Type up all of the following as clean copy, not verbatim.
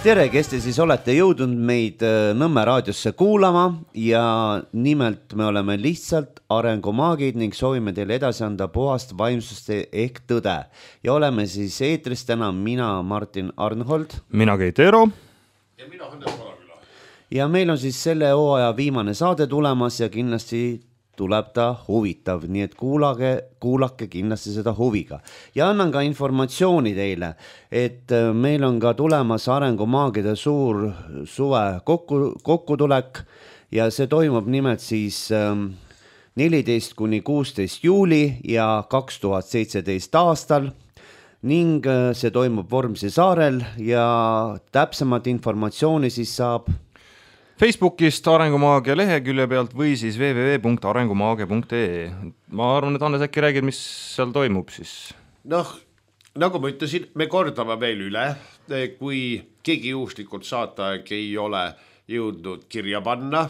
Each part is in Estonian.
Tere, kes te siis olete jõudnud meid Nõmme raadiosse kuulama ja nimelt me oleme lihtsalt arengumaagid ning soovime teile edasi anda puhast vaimsust ehk tõde. Ja oleme siis eetris täna mina, Martin Arnhold. Mina Keit Eero. Ja mina Hannes Valaküla. Ja meil on siis selle hooaja viimane saade tulemas ja kindlasti tuleb ta huvitav, nii et kuulake kindlasti seda huviga. Ja annan ka informatsiooni teile, et meil on ka tulemas arengumaagide suur suve kokkutulek ja see toimub nimelt siis 14 kuni 16 juuli ja 2017 aastal ning see toimub Vormsi saarel ja täpsemat informatsiooni siis saab Facebookist Arengumaagia lehekülje pealt või siis www.arengumaagia.ee. Ma arvan, et Hannes äkki räägid, mis seal toimub siis? Nagu ma ütlesin, me kordame veel üle, kui keegi juhuslikult saataeg ei ole jõudnud kirja panna,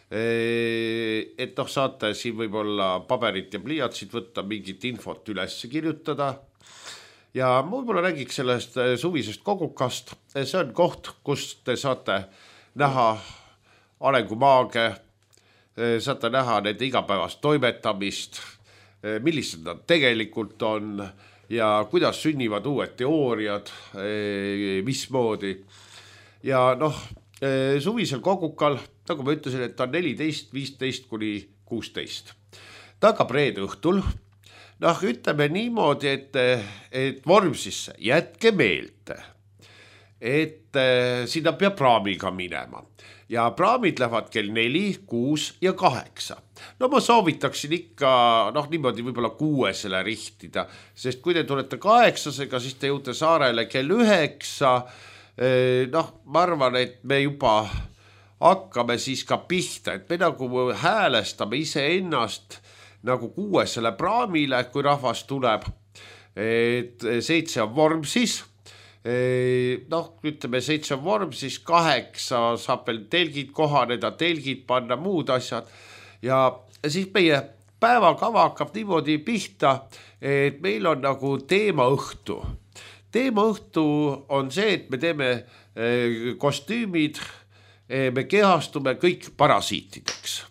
et saate siin võib-olla paberit ja pliiatsid võtta, mingit infot üles kirjutada. Ja ma võib-olla räägiks sellest suvisest kogukast. See on koht, kus te saate näha arengumaage, saate näha nende igapäevast toimetamist, millised nad tegelikult on ja kuidas sünnivad uued teooriad, mismoodi. Ja suvisel kogukal, nagu ma ütlesin, et ta on 14, 15 kuni 16. Ta hakkab reede õhtul. Ütleme niimoodi, et Vormsisse jätke meelde, et sinna peab praamiga minema ja praamid lähevad kell 4, 6 ja 8. Ma soovitaksin ikka niimoodi võib-olla 6 rihtida, sest kui te tulete 8-sega, siis te jõute saarele kell 9. Ma arvan, et me juba hakkame siis ka pihta, et me nagu häälestame iseennast nagu 6 praamile, kui rahvas tuleb, et 7 on Vormsis. Ütleme 7 on Vormsis, 8 saab veel telgid kohaneda, telgid panna, muud asjad. Ja siis meie päevakava hakkab niimoodi pihta, et meil on nagu teemaõhtu. Teemaõhtu on see, et me teeme kostüümid, me kehastume kõik parasiitideks.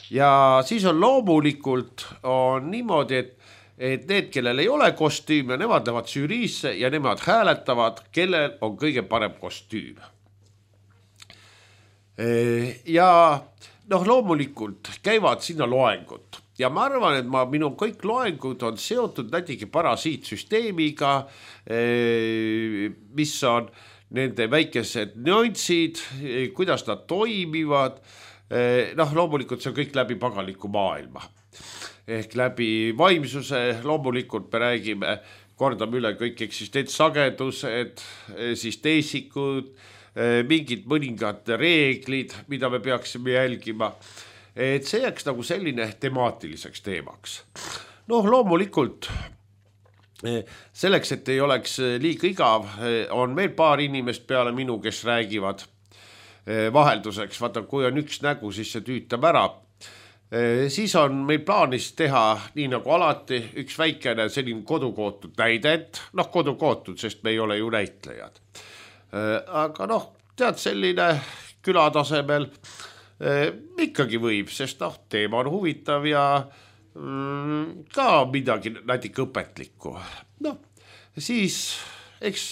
Ja siis on loomulikult on niimoodi, et need, kellel ei ole kostüüme, nemad lähevad žüriisse ja nemad hääletavad, kellel on kõige parem kostüüm. Ja loomulikult käivad sinna loengud. Ja ma arvan, et minu kõik loengud on seotud näitegi parasiitsüsteemiga, mis on nende väikesed nüanssid, kuidas nad toimivad. Loomulikult see on kõik läbi pagaliku maailma. Ehk läbi vaimsuse, loomulikult me räägime, kordame üle kõik eksistentsagedused, siis teesikud, mingid mõningad reeglid, mida me peaksime jälgima. Et see jääks nagu selline temaatiliseks teemaks. Loomulikult, selleks, et ei oleks liiga igav, on meil paar inimest peale minu, kes räägivad vahelduseks. Vaata, kui on üks nägu, siis see tüütab ära. Siis on meil plaanis teha, nii nagu alati, üks väikene selline kodukootud näidend. Kodukootud, sest me ei ole ju näitlejad. Aga tead, selline külatasemel ikkagi võib, sest teema on huvitav ja ka midagi natuke õpetlikku. Siis, eks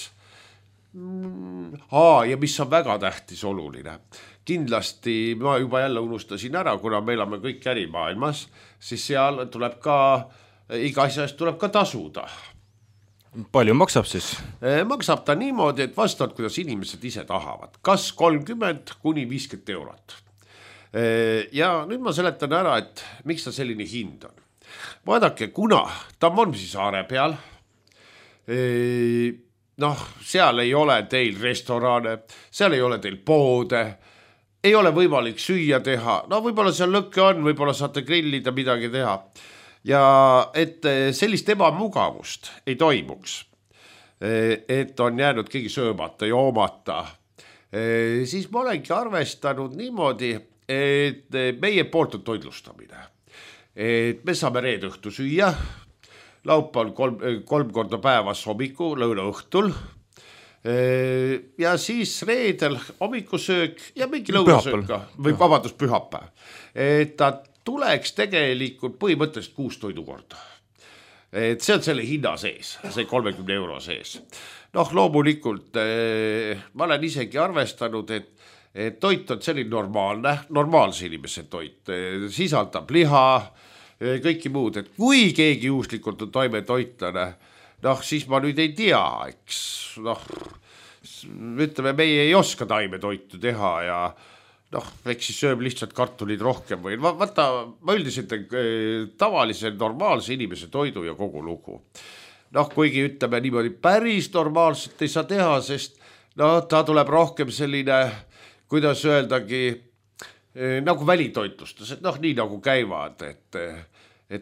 ja mis on väga tähtis oluline. Kindlasti ma juba jälle unustasin ära, kuna me elame kõik ärimaailmas, siis seal tuleb ka, iga asjast tuleb ka tasuda. Palju maksab siis? Maksab ta niimoodi, et vastavalt, kuidas inimesed ise tahavad. Kas 30 kuni 50 eurot. Ja nüüd ma seletan ära, et miks ta selline hind on. Vaadake, kuna ta on Vormsi saare peal, seal ei ole teil restorane, seal ei ole teil poode, ei ole võimalik süüa teha. Võib-olla seal lõkke on, võib-olla saate grillida midagi teha. Ja et sellist ebamugavust ei toimuks, et on jäänud keegi söömata, joomata, siis ma olengi arvestanud niimoodi, et meie poolt on toitlustamine. Et me saame reede õhtu süüa, laupäeval 3 korda päevas hommiku, lõuna õhtul. ja siis reedel hommikusöök ja mingi lõunasöök või vabandust pühapäev. Et ta tuleks tegelikult põhimõtteliselt 6 toidukorda. Et see on selle hinna sees, see 30 euro sees. Noh, loomulikult ma olen isegi arvestanud, et toit on selline normaalse inimese toit, sisaldab liha, kõiki muud, et kui keegi juhuslikult on taimetoitlane, noh, siis ma nüüd ei tea, eks, noh, ütleme, meie ei oska taimetoitu teha ja noh, eks siis sööb lihtsalt kartulid rohkem või vaata, ma üldiselt tavalise normaalse inimese toidu ja kogu lugu. Noh, kuigi ütleme niimoodi päris normaalselt ei saa teha, sest no ta tuleb rohkem selline, kuidas öeldagi, nagu välitoitlustus, et noh, nii nagu käivad, et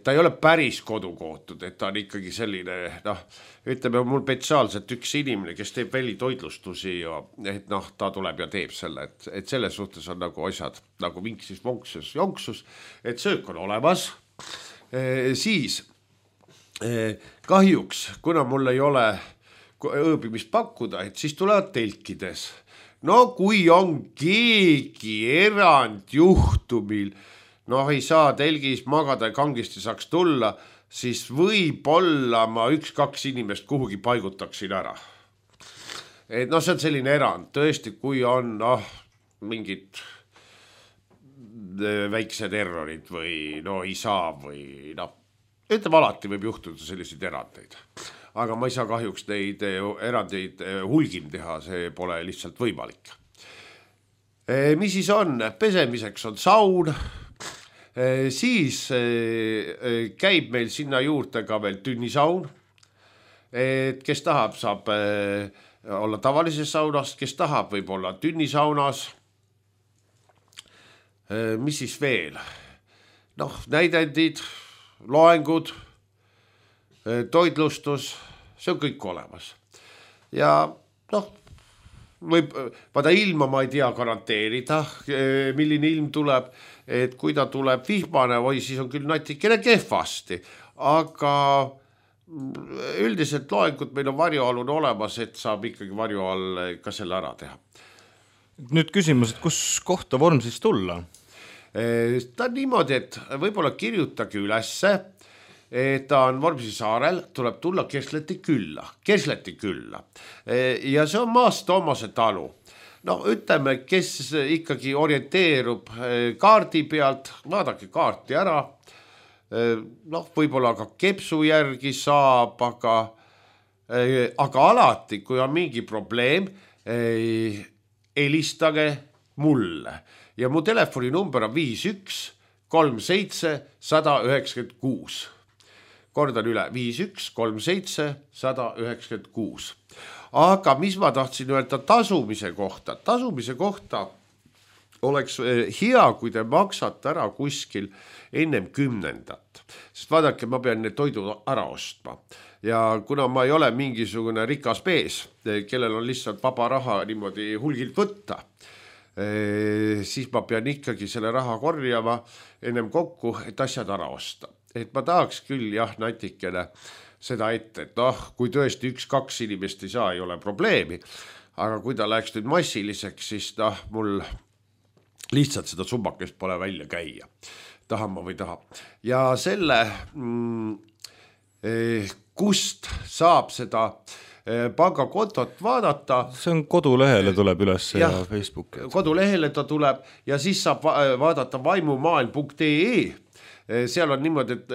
ta ei ole päris kodukootud, et ta on ikkagi selline, noh, ütleme mul spetsiaalselt üks inimene, kes teeb välitoitlustusi ja et noh, ta tuleb ja teeb selle, et selles suhtes on nagu asjad nagu vinksis, vonksus, jonksus, et söök on olemas, siis kahjuks, kuna mul ei ole ööbimist pakkuda, et siis tulevad telkides. No kui on keegi erandjuhtumil, noh, ei saa telgis magada ja kangesti saaks tulla, siis võib-olla ma 1-2 inimest kuhugi paigutaksin ära. Et noh, see on selline erand, tõesti, kui on mingid väiksed errorid või no ei saa või noh, ütleme alati võib juhtuda selliseid erandeid. Aga ma ei saa kahjuks neid erandeid hulgim teha, see pole lihtsalt võimalik. Mis siis on? Pesemiseks on saun, siis käib meil sinna juurde ka veel tünnisaun, et kes tahab, saab olla tavalises saunas, kes tahab, võib olla tünnisaunas. Mis siis veel? Noh, näidendid, loengud, toitlustus, see on kõik olemas. Ja noh, vaada ilma ma ei tea garanteerida, milline ilm tuleb, et kui ta tuleb vihmane või siis on küll natikene kehvasti, aga üldiselt loengud meil on varjualune olemas, et saab ikkagi varju all ka selle ära teha. Nüüd küsimus, et kus kohta vorm siis tulla? Ta on niimoodi, et võib-olla kirjutage ülesse, et ta on Vormsi saarel, tuleb tulla Kersleti külla. Ja see on Maas Toomase talu. No ütleme, kes ikkagi orienteerub kaardi pealt, vaadake kaarti ära. Noh, võib-olla ka Kepsu järgi saab, aga alati, kui on mingi probleem, helistage mulle. Ja mu telefoninumber on 51 37 196. Kordan üle, 51 37 196. Aga mis ma tahtsin öelda tasumise kohta? Tasumise kohta oleks hea, kui te maksate ära kuskil ennem 10. Sest vaadake, ma pean need toidu ära ostma. Ja kuna ma ei ole mingisugune rikas mees, kellel on lihtsalt vaba raha niimoodi hulgilt võtta, siis ma pean ikkagi selle raha korjama ennem kokku, et asjad ära osta. Et ma tahaks küll natikene seda ette, et noh, kui tõesti 1-2 inimest ei saa, ei ole probleemi, aga kui ta läheks nüüd massiliseks, siis mul lihtsalt seda summakest pole välja käia. Tahan ma või taha. Ja selle, kust saab seda pangakontot vaadata. See on kodulehele tuleb üles ja Facebooki. Kodulehele ta tuleb ja siis saab vaadata vaimumaailm.ee. Seal on niimoodi, et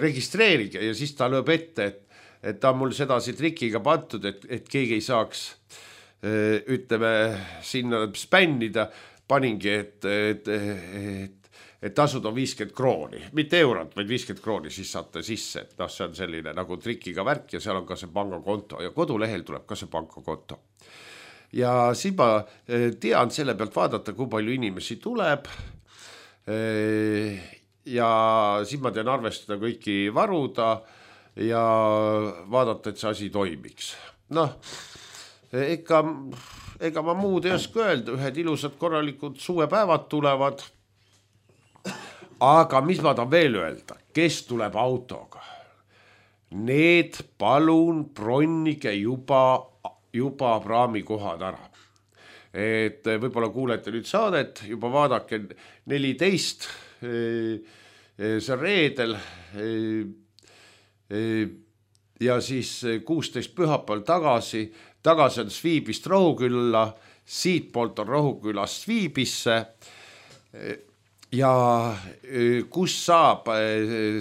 registreerige ja siis ta lööb ette, et ta on mul sedasi trikiga pantud, et keegi ei saaks, ütleme, sinna spännida, paningi, et tasud on 50 krooni, mitte eurot, vaid 50 krooni, siis saate sisse, et see on selline nagu trikiga värk ja seal on ka see pangakonto ja kodulehel tuleb ka see pangakonto. Ja siis ma tean selle pealt vaadata, kui palju inimesi tuleb ja siis ma tean arvestada kõiki varuda ja vaadata, et see asi toimiks. Noh, ega ma muud ei oska öelda, ühed ilusad korralikud suvepäevad tulevad. Aga mis ma tahan veel öelda, kes tuleb autoga? Need palun bronnige juba juba praamikohad ära. Et võib-olla kuulete nüüd saadet, juba vaadake 14, see on reedel ja siis 16 pühapäeval tagasi on Sviibist Rohukülla, siitpoolt on Rohukülast Sviibisse ja kus saab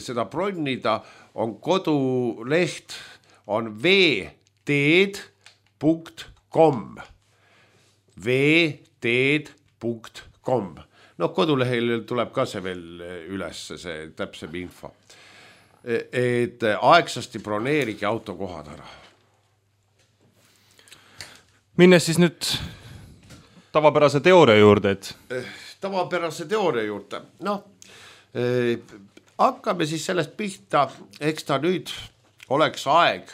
seda bronnida, on koduleht, on vteed.com. vteed.com. Kodulehel tuleb ka see veel üles, see täpsem info. Et aegsasti broneerige autokohad ära. Minnes siis nüüd tavapärase teooria juurde, et... Tavapärase teooria juurde. Hakkame siis sellest pihta, eks ta nüüd oleks aeg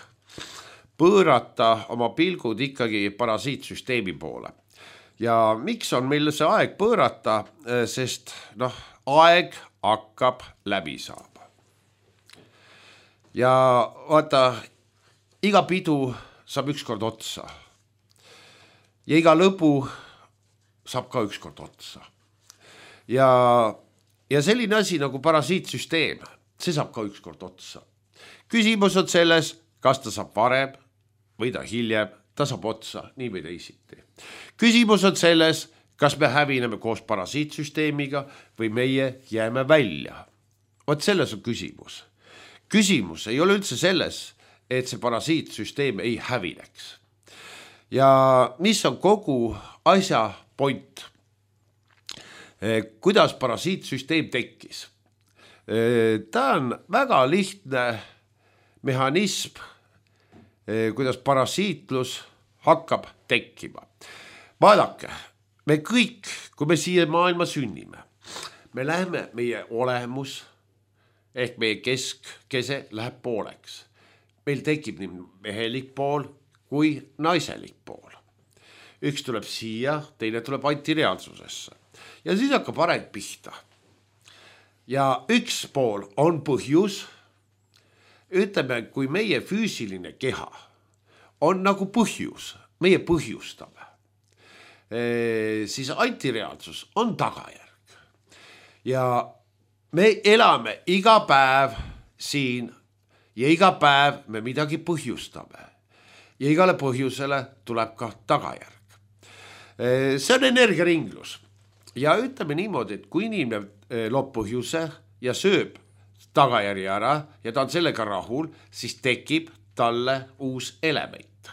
pöörata oma pilgud ikkagi parasiitsüsteemi poole. Ja miks on meil see aeg pöörata, sest aeg hakkab läbi saama. Ja vaata, iga pidu saab ükskord otsa. Ja iga lõbu saab ka ükskord otsa. Ja selline asi nagu parasiitsüsteem, see saab ka ükskord otsa. Küsimus on selles, kas ta saab varem või ta hiljem, ta saab otsa, nii või teisiti. Küsimus on selles, kas me hävineme koos parasiitsüsteemiga või meie jääme välja. Vot selles on küsimus. Küsimus ei ole üldse selles, et see parasiitsüsteem ei hävineks. Ja mis on kogu asja point? Kuidas parasiitsüsteem tekkis? Ta on väga lihtne mehhanism, kuidas parasiitlus hakkab tekkima. Vaadake, me kõik, kui me siia maailma sünnime, me läheme, meie olemus ehk meie keskese läheb pooleks. Meil tekib nii mehelik pool kui naiselik pool. Üks tuleb siia, teine tuleb antireaalsusesse. Ja siis hakkab areng pihta. Ja üks pool on põhjus, ütleme, kui meie füüsiline keha on nagu põhjus, meie põhjustame, siis antireaalsus on tagajärg. Ja me elame iga päev siin ja iga päev me midagi põhjustame. Ja igale põhjusele tuleb ka tagajärg. See on energiaringlus. Ja ütleme niimoodi, et kui inimene loob põhjuse ja sööb tagajärgi ära ja ta on sellega rahul, siis tekib talle uus element.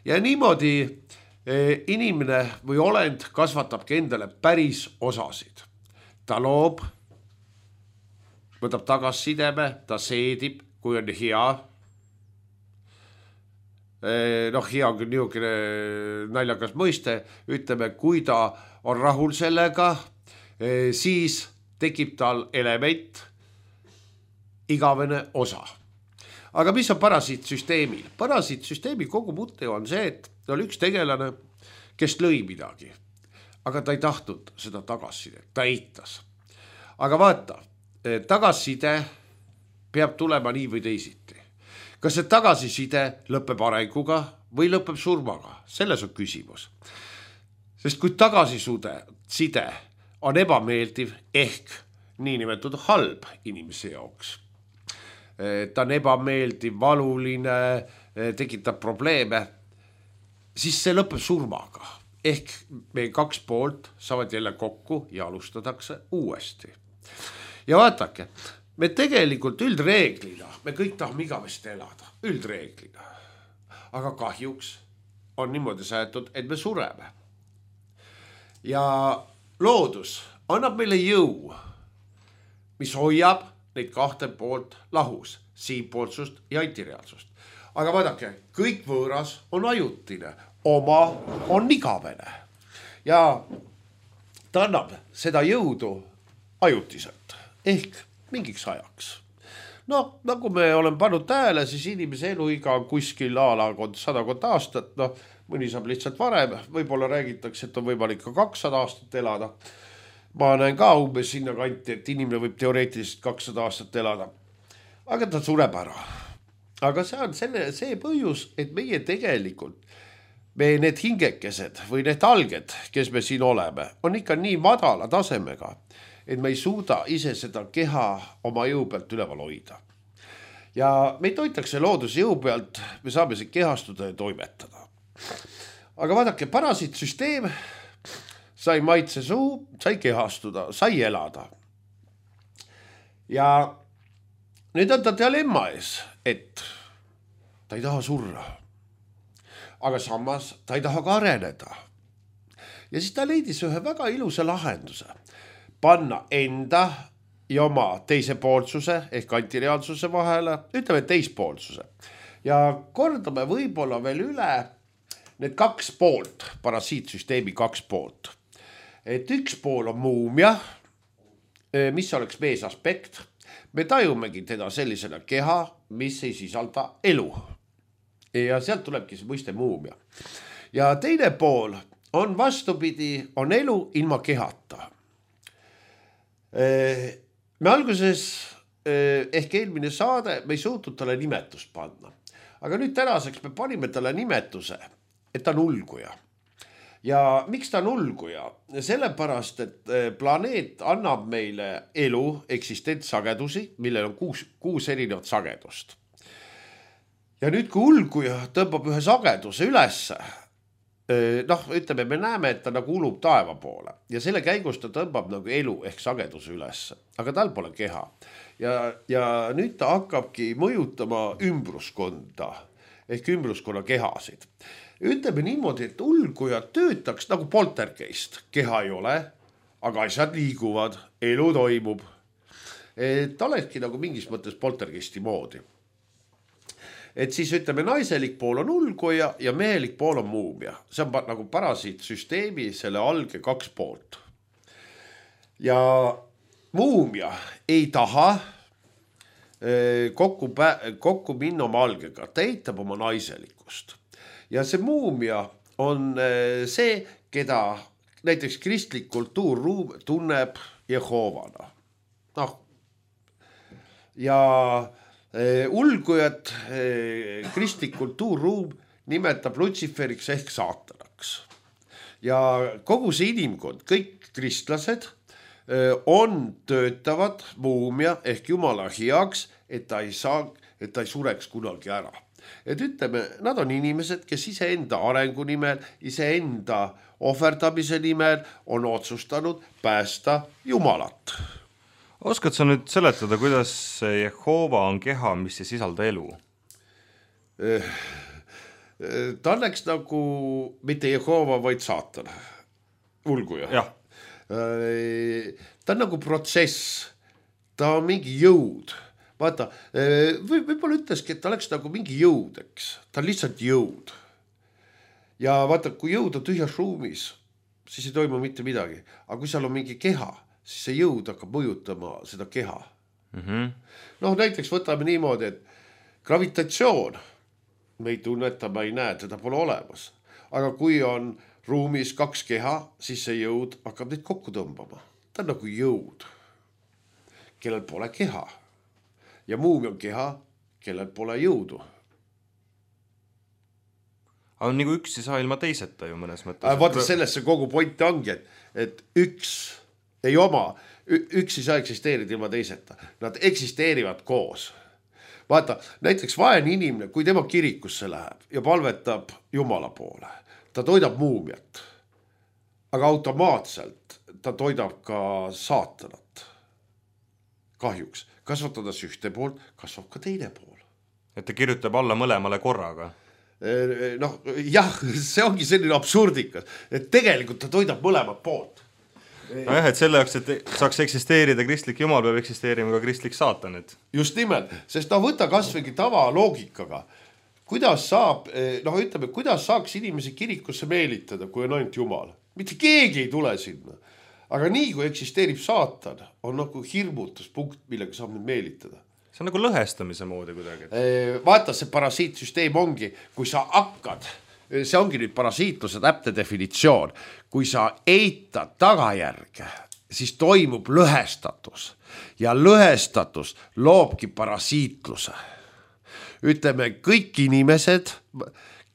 Ja niimoodi inimene või olend kasvatabki endale päris osasid. Ta loob, võtab tagassideme, ta seedib, kui on hea. Hea on küll niisugune naljakas mõiste, ütleme, kui ta on rahul sellega, siis tekib tal element, igavene osa. Aga mis on parasiitsüsteemil? Parasiitsüsteemi kogu mõte on see, et oli üks tegelane, kes lõi midagi, aga ta ei tahtnud seda tagasisidet, ta eitas. Aga vaata, tagasiside peab tulema nii või teisiti. Kas see tagasiside lõpeb arenguga või lõpeb surmaga? Selles on küsimus. Sest kui tagasiside on ebameeldiv ehk niinimetatud halb inimese jaoks, ta on ebameeldiv, valuline, tekitab probleeme, siis see lõpeb surmaga. Ehk meie kaks poolt saavad jälle kokku ja alustatakse uuesti. Ja vaatake, me tegelikult üldreeglina, me kõik tahame igavesti elada, üldreeglina. Aga kahjuks on niimoodi säätud, et me sureme. Ja loodus annab meile jõu, mis hoiab neid kahte poolt lahus, siinpoolsust ja antireaalsust. Aga vaadake, kõik võõras on ajutine, oma on igavene. Ja ta annab seda jõudu ajutiselt, ehk mingiks ajaks. Nagu me oleme pannud tähele, siis inimese eluiga on kuskil aalaakond 100 aastat, mõni saab lihtsalt varem, võib-olla räägitakse, et on võimalik ka 200 aastat elada. Ma näen ka umbes sinna kanti, et inimene võib teoreetiliselt 200 aastat elada. Aga ta sureb ära. Aga see on see põhjus, et meie tegelikult me need hingekesed või need alged, kes me siin oleme, on ikka nii madala tasemega, et me ei suuda ise seda keha oma jõu pealt üleval hoida. Ja meid hoitakse looduse jõu pealt, me saame siin kehastuda ja toimetada. Aga vaadake, parasiitsüsteem sai maitse suu, sai kehastuda, sai elada. Ja nüüd on ta dilemma ees, et ta ei taha surra. Aga samas ta ei taha ka areneda. Ja siis ta leidis ühe väga ilusa lahenduse. Panna enda ja oma teise poolsuse ehk antireaalsuse vahele, ütleme teispoolsuse. Ja kordame võib-olla veel üle need kaks poolt, parasiitsüsteemi kaks poolt. Et üks pool on muumia, mis oleks meesaspekt. Me tajumegi teda sellisena keha, mis ei sisalda elu. Ja sealt tulebki see mõiste muumia. Ja teine pool on vastupidi, on elu ilma kehata. Me alguses ehk eelmine saade, me ei suutnud talle nimetust panna. Aga nüüd tänaseks me panime talle nimetuse, et ta on ulguja. Ja miks ta on ulguja? Sellepärast, et planeet annab meile elu, eksistentssagedusi, millel on kuus erinevat sagedust. Ja nüüd, kui ulguja tõmbab ühe sageduse ülesse, ütleme, me näeme, et ta nagu ulub taeva poole ja selle käigus ta tõmbab nagu elu ehk sageduse ülesse, aga tal pole keha. Ja nüüd ta hakkabki mõjutama ümbruskonda ehk ümbruskonna kehasid. Ütleme niimoodi, et ulguja töötaks nagu poltergeist. Keha ei ole, aga asjad liiguvad, elu toimub. Ta olekski nagu mingis mõttes poltergeisti moodi. Et siis ütleme, naiselik pool on ulguja ja mehelik pool on muumia. See on nagu parasiitsüsteemi selle alge kaks poolt. Ja muumia ei taha kokku minna oma algega. Ta eitab oma naiselikust. Ja see muumia on see, keda näiteks kristlik kultuurruum tunneb Jehoovana. Ja ulgujat kristlik kultuurruum nimetab Lutsiferiks ehk saatanaks. Ja kogu see inimkond, kõik kristlased töötavad muumia ehk jumala heaks, et ta ei sureks kunagi ära. Et ütleme, nad on inimesed, kes iseenda arengu nimel, iseenda ohverdamise nimel on otsustanud päästa Jumalat. Oskad sa nüüd seletada, kuidas Jehova on keha, mis ei sisalda elu? Ta oleks nagu mitte Jehova, vaid saatan. Ulguja. Jah. Ta on nagu protsess. Ta on mingi jõud. Vaata, võib-olla ütleski, et ta oleks nagu mingi jõud, eks. Ta on lihtsalt jõud. Ja vaata, kui jõud on tühjas ruumis, siis ei toimu mitte midagi. Aga kui seal on mingi keha, siis see jõud hakkab mõjutama seda keha. Näiteks võtame niimoodi, et gravitatsioon, me ei tunneta, me ei näe, teda pole olemas. Aga kui on ruumis kaks keha, siis see jõud hakkab neid kokku tõmbama. Ta on nagu jõud, kellel pole keha. Ja muumi on keha, kellel pole jõudu. Aga nagu üks ei saa ilma teiseta ju mõnes mõttes. Vaata, sellesse kogu point ongi, et üks ei saa eksisteerida ilma teiseta. Nad eksisteerivad koos. Vaata, näiteks vaene inimene, kui tema kirikusse läheb ja palvetab Jumala poole, ta toidab muumiat, aga automaatselt ta toidab ka saatanat. Kahjuks. Kasvatades ühte poolt, kasvab ka teine pool. Et ta kirjutab alla mõlemale korraga. Jah, see ongi selline absurdikas, et tegelikult ta toidab mõlemat poolt. Nojah, et selle jaoks, et saaks eksisteerida kristlik jumal, peab eksisteerima ka kristlik saatanit. Just nimelt, sest võta kasvõi tava loogikaga. Kuidas saaks inimesi kirikusse meelitada, kui on ainult jumal? Mitte keegi ei tule sinna. Aga nii, kui eksisteerib saatan, on nagu hirmutuspunkt, millega saab nüüd meelitada. See on nagu lõhestamise moodi kuidagi. Vaata, see parasiitsüsteem ongi, kui sa hakkad, see ongi nüüd parasiitluse täpne definitsioon, kui sa eitad tagajärge, siis toimub lõhestatus ja lõhestatus loobki parasiitluse. Ütleme, kõik inimesed,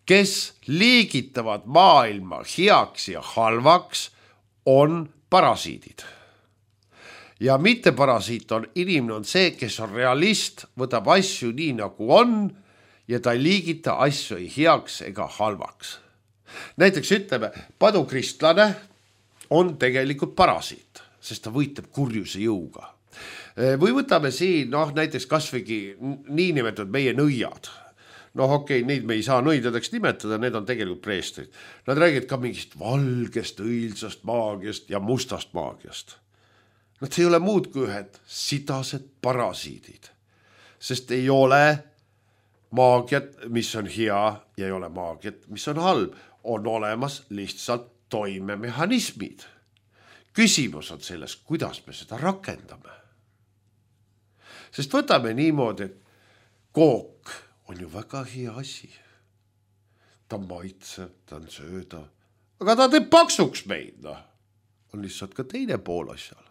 kes liigitavad maailma heaks ja halvaks, on parasiidid. Ja mitte parasiit on inimene on see, kes on realist, võtab asju nii nagu on ja ta ei liigita asju ei heaks ega halvaks. Näiteks ütleme, padukristlane on tegelikult parasiit, sest ta võitleb kurjuse jõuga. Või võtame siin näiteks kasvõigi niinimetatud meie nõiad. Okei, neid me ei saa nõidadeks nimetada, need on tegelikult preestrid. Nad räägivad ka mingist valgest, õilsast maagiast ja mustast maagiast. Nad ei ole muud kui ühed sidased parasiidid, sest ei ole maagiat, mis on hea ja ei ole maagiat, mis on halb. On olemas lihtsalt toimemehhanismid. Küsimus on selles, kuidas me seda rakendame. Sest võtame niimoodi, et kook on ju väga hea asi. Ta maitseb, ta on sööda, aga ta teeb paksuks meid. On lihtsalt ka teine pool asjal.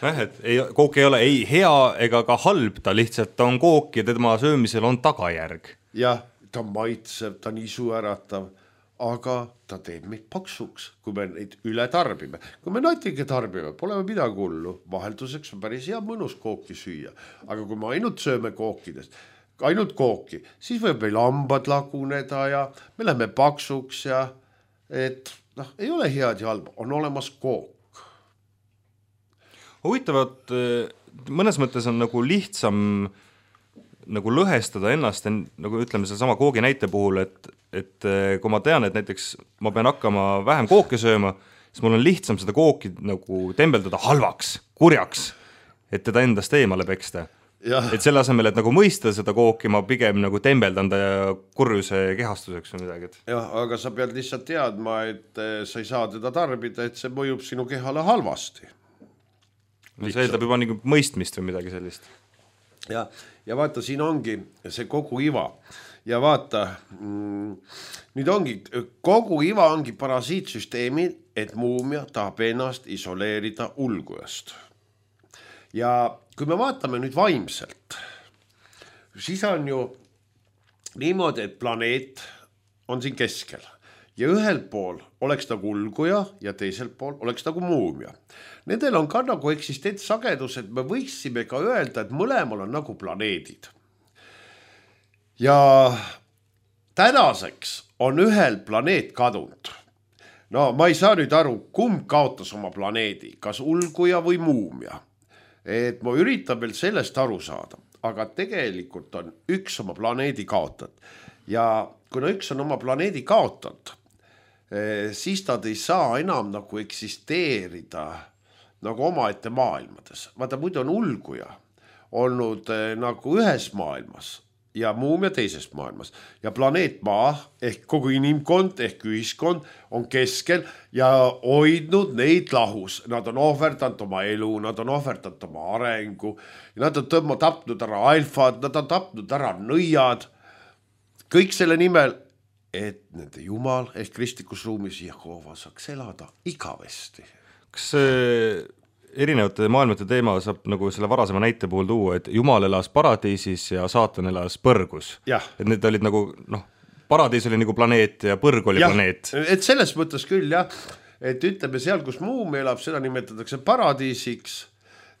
Et kook ei ole ei hea ega ka halb, ta lihtsalt on kook ja tema söömisel on tagajärg. Jah, ta maitseb, ta on isu äratav, aga ta teeb meid paksuks, kui me neid üle tarbime. Kui me natuke tarbime, pole me midagi hullu. Vahelduseks on päris hea mõnus kooki süüa. Aga kui me ainult sööme kookidest, ainult kooki, siis võib meil hambad laguneda ja me läheme paksuks ja ei ole head ja halb, on olemas kook. Huvitavad, mõnes mõttes on nagu lihtsam nagu lõhestada ennast, nagu ütleme selle sama koogi näite puhul, et kui ma tean, et näiteks ma pean hakkama vähem kooke sööma, siis mul on lihtsam seda kooki nagu tembeldada halvaks, kurjaks, et teda endast eemale peksta. Et selle asemel, et nagu mõista seda kooki, ma pigem nagu tembeldan ta kurjuse kehastuseks või midagi. Jah, aga sa pead lihtsalt teadma, et sa ei saa teda tarbida, et see mõjub sinu kehale halvasti. See eeldab juba nagu mõistmist või midagi sellist. Ja vaata, siin ongi see kogu iva. Ja vaata, nüüd ongi, kogu iva ongi parasiitsüsteemi, et muumia tahab ennast isoleerida ulgujast. Ja kui me vaatame nüüd vaimselt, siis on ju niimoodi, et planeet on siin keskel. Ja ühel pool oleks nagu ulguja ja teisel pool oleks nagu muumia. Nendel on ka nagu eksistentsagedus, et me võiksime ka öelda, et mõlemal on nagu planeedid. Ja tänaseks on ühel planeet kadunud. Ma ei saa nüüd aru, kumb kaotas oma planeedi, kas ulguja või muumia. Et ma üritan veel sellest aru saada, aga tegelikult on üks oma planeedi kaotanud. Ja kuna üks on oma planeedi kaotanud, siis nad ei saa enam nagu eksisteerida nagu omaette maailmades. Vaata, muidu on ulguja olnud nagu ühes maailmas ja muumia teises maailmas. Ja planeet Maa ehk kogu inimkond ehk ühiskond on keskel ja hoidnud neid lahus. Nad on ohverdanud oma elu, nad on ohverdanud oma arengu, nad on tapnud ära alfad, nad on tapnud ära nõiad. Kõik selle nimel, et nende jumal ehk kristlikus ruumis Jehova saaks elada igavesti. Kas erinevate maailmate teema saab nagu selle varasema näite puhul tuua, et jumal elas paradiisis ja saatan elas põrgus? Et need olid nagu, paradiis oli nagu planeet ja põrg oli planeet. Et selles mõttes küll, jah. Et ütleme seal, kus muum elab, seda nimetatakse paradiisiks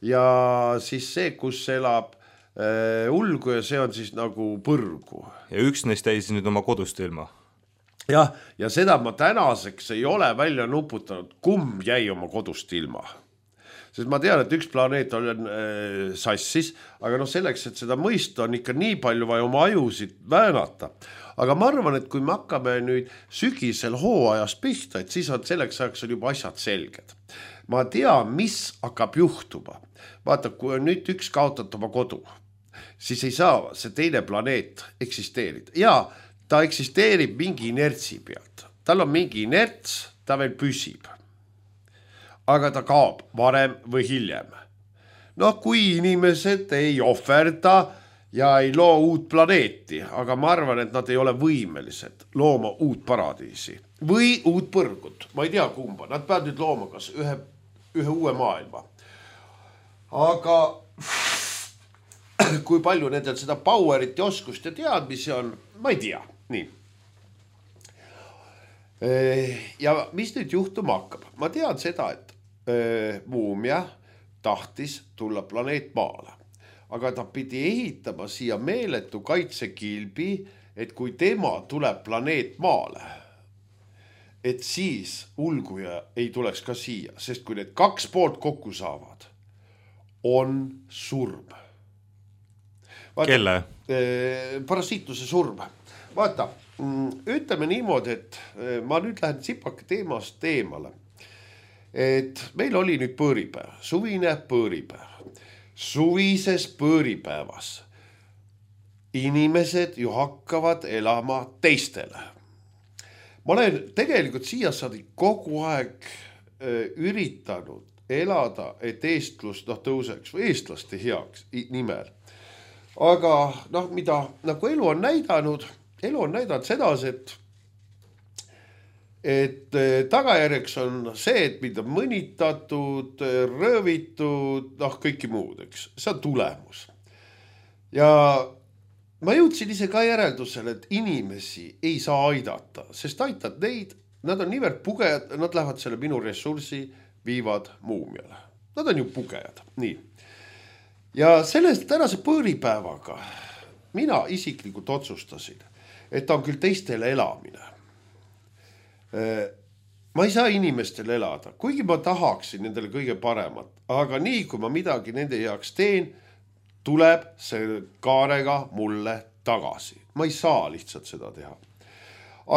ja siis see, kus elab ulgu ja see on siis nagu põrgu. Ja üks neist jäi siis nüüd oma kodust ilma. Ja seda ma tänaseks ei ole välja nuputanud, kumb jäi oma kodust ilma. Sest ma tean, et üks planeet on sassis, aga selleks, et seda mõista, on ikka nii palju vaja oma ajusid väänata. Aga ma arvan, et kui me hakkame nüüd sügisel hooajas pihta, et siis on selleks ajaks on juba asjad selged. Ma tean, mis hakkab juhtuma. Vaata, kui on nüüd üks kaotat oma kodu, siis ei saa see teine planeet eksisteerida. Ja ta eksisteerib mingi inertsi pealt. Tal on mingi inerts, ta veel püsib. Aga ta kaob varem või hiljem. Kui inimesed ei ohverda ja ei loo uut planeeti, aga ma arvan, et nad ei ole võimelised looma uut paradiisi või uut põrgut. Ma ei tea kumba. Nad peavad nüüd looma kas ühe uue maailma. Aga kui palju nendel seda powerit ja oskust ja teadmisi on, ma ei tea. Nii. Ja mis nüüd juhtuma hakkab? Ma tean seda, et muumia tahtis tulla planeet Maale, aga ta pidi ehitama siia meeletu kaitsekilbi, et kui tema tuleb planeet Maale, et siis ulguja ei tuleks ka siia, sest kui need kaks poolt kokku saavad, on surm. Vaata, Kelle? Parasiitluse surm. Vaata, ütleme niimoodi, et ma nüüd lähen sipake teemast eemale. Et meil oli nüüd põõripäev, suvine põõripäev. Suvises põõripäevas inimesed ju hakkavad elama teistele. Ma olen tegelikult siiasadi kogu aeg üritanud elada, et eestlus tõuseks või eestlaste heaks nimel. Aga mida nagu elu on näidanud sedasi, et tagajärjeks on see, et mind on mõnitatud, röövitud, kõiki muud, eks. See on tulemus. Ja ma jõudsin ise ka järeldusele, et inimesi ei saa aidata, sest aitad neid, nad on niivõrd pugejad, nad lähevad selle minu ressursi, viivad muumiale. Nad on ju pugejad, nii. Ja sellest tänase põõripäevaga mina isiklikult otsustasin, et on küll teistele elamine. Ma ei saa inimestele elada, kuigi ma tahaksin nendele kõige paremat, aga nii kui ma midagi nende heaks teen, tuleb see kaarega mulle tagasi. Ma ei saa lihtsalt seda teha.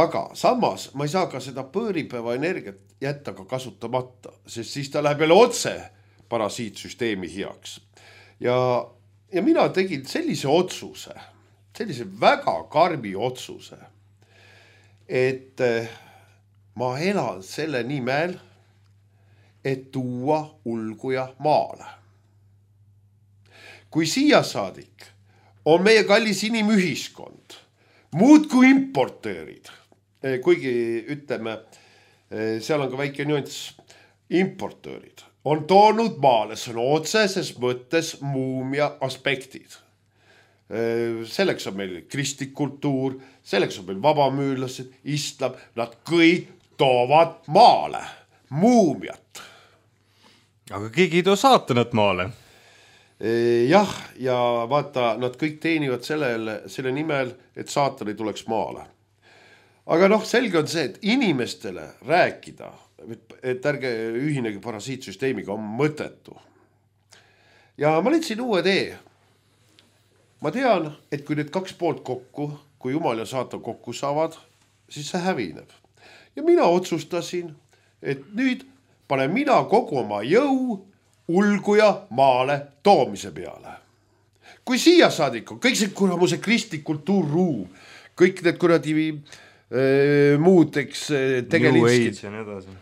Aga samas ma ei saa ka seda põõripäeva energiat jätta ka kasutamata, sest siis ta läheb jälle otse parasiitsüsteemi heaks. Ja mina tegin sellise otsuse, sellise väga karmi otsuse, et ma elan selle nimel, et tuua ulguja Maale. Kui siia saadik on meie kallis inimühiskond, muud kui importöörid, kuigi ütleme, seal on ka väike nüanss, importöörid on toonud Maale sõna otseses mõttes muumia aspektid. Selleks on meil kristlik kultuur, selleks on meil vabamüürlased, islam, nad kõik toovad Maale muumiat. Aga keegi ei too saatanat Maale. Jah, ja vaata, nad kõik teenivad selle nimel, et saatan ei tuleks Maale. Aga selge on see, et inimestele rääkida, et ärge ühinegi parasiitsüsteemiga, on mõttetu. Ja ma leidsin uue tee. Ma tean, et kui need kaks poolt kokku, kui Jumal ja saatan kokku saavad, siis see hävineb. Ja mina otsustasin, et nüüd panen mina kogu oma jõu ulguja Maale toomise peale. Kui siia saadik on, kõik see kuramuse kristlik kultuurruum, kõik need kuradi muudeks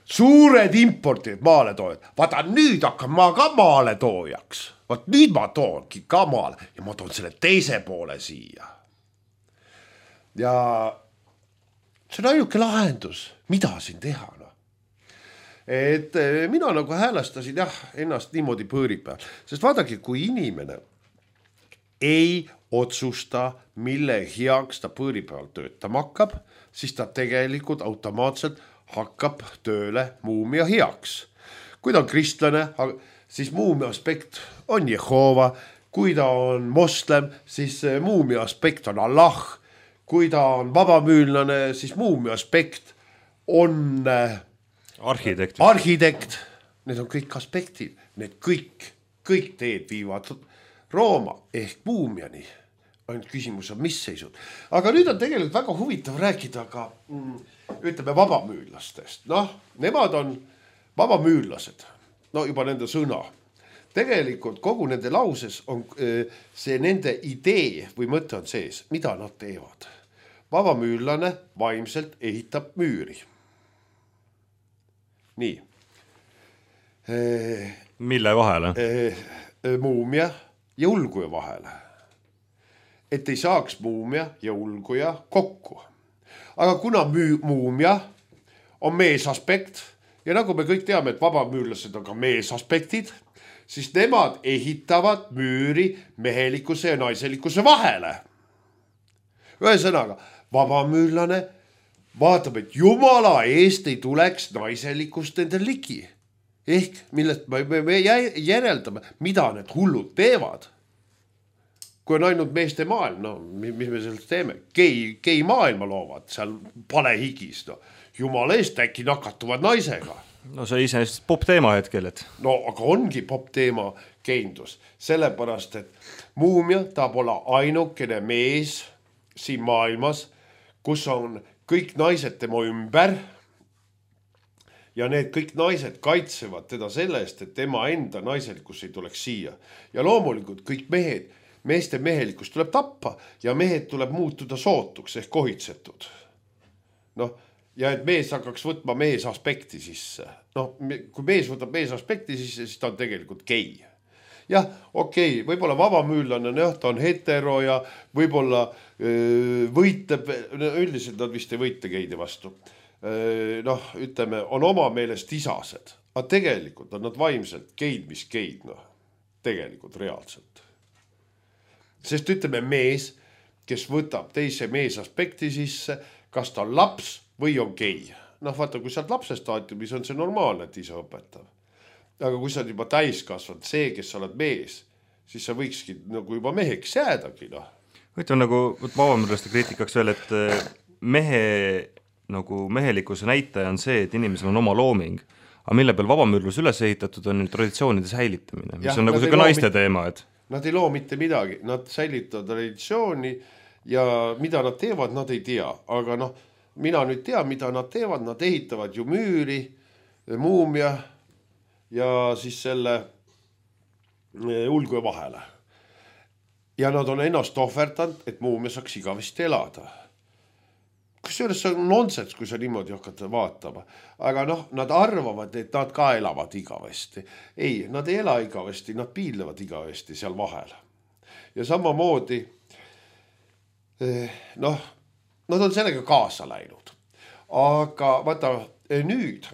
suured importid Maale toojad. Vaata, nüüd hakkan ma ka Maale toojaks. Vaat nüüd ma toonki ka Maale ja ma toon selle teise poole siia. Ja see on ainuke lahendus, mida siin teha. Et mina nagu häälestasin ennast niimoodi põõripäeval. Sest vaadake, kui inimene ei otsusta, mille heaks ta põõripäeval töötama hakkab, siis ta tegelikult automaatselt hakkab tööle muumia heaks. Kui ta on kristlane, siis muumia aspekt on Jehova. Kui ta on moslem, siis muumia aspekt on Allah. Kui ta on vabamüürlane, siis muumia aspekt on arhitekt. Need on kõik aspektid. Need kõik teed viivad Rooma ehk muumiani. Ainult küsimus on, mis seisud. Aga nüüd on tegelikult väga huvitav rääkida ka, ütleme, vabamüürlastest. Nemad on vabamüürlased. Juba nende sõna. Tegelikult kogu nende lauses on see nende idee või mõte on sees, mida nad teevad. Vabamüürlane vaimselt ehitab müüri. Nii. Mille vahele? Muumia ja ulguja vahele. Et ei saaks muumia ja ulguja kokku. Aga kuna muumia on meesaspekt ja nagu me kõik teame, et vabamüürlased on ka meesaspektid, siis nemad ehitavad müüri mehelikkuse ja naiselikkuse vahele. Ühesõnaga, vabamüürlane vaatab, et jumala eest ei tuleks naiselikust nende ligi. Ehk millest me järeldame, mida need hullud teevad. Kui on ainult meeste maailm, no mis me sellest teeme? Gei maailma loovad seal palehigis, no. Jumala eest äkki nakatuvad naisega. No see iseenesest pop teema hetkel, et... No aga ongi pop teema geindus, sellepärast, et muumia tahab olla ainukene mees siin maailmas, kus on kõik naised tema ümber ja need kõik naised kaitsevad teda selle eest, et tema enda naiselikkus ei tuleks siia. Ja loomulikult kõik meeste mehelikkus tuleb tappa ja mehed tuleb muutuda sootuks ehk kohitsetud. Noh, ja et mees hakkaks võtma mees aspekti sisse. Noh, kui mees võtab mees aspekti sisse, siis ta on tegelikult gei. Jah, okei, võib-olla vabamüülane, ta on hetero ja võib-olla võitleb, üldiselt nad vist ei võitle geide vastu. Noh, ütleme, on oma meelest isased, aga tegelikult on nad vaimselt geid, mis geid, noh, tegelikult reaalselt. Sest ütleme mees, kes võtab teise mees aspekti sisse, kas ta on laps või on gei. Noh, vaata, kui sa oled lapse staatiumis, on see normaalne, et ise õpetav. Aga kui sa oled juba täiskasvanud, see, kes sa oled mees, siis sa võikski nagu juba meheks jäädagi, noh. Võitleme nagu vabamüürlaste kriitikaks veel, et mehelikkuse näitaja on see, et inimesel on oma looming, aga mille peal vabamüürlus üles ehitatud on traditsioonide säilitamine, mis on nagu selline naiste teema, et... Nad ei loo mitte midagi, nad säilitavad traditsiooni ja mida nad teevad, nad ei tea. Aga noh, mina nüüd tean, mida nad teevad, nad ehitavad ju müüri, muumia ja siis selle ulgue vahele. Ja nad on ennast ohverdanud, et muumia saaks igavesti elada. Kusjuures see on nonsens, kui sa niimoodi hakkad vaatama. Aga noh, nad arvavad, et nad ka elavad igavesti. Ei, nad ei ela igavesti, nad piilevad igavesti seal vahel. Ja samamoodi, noh, nad on sellega kaasa läinud. Aga vaata, nüüd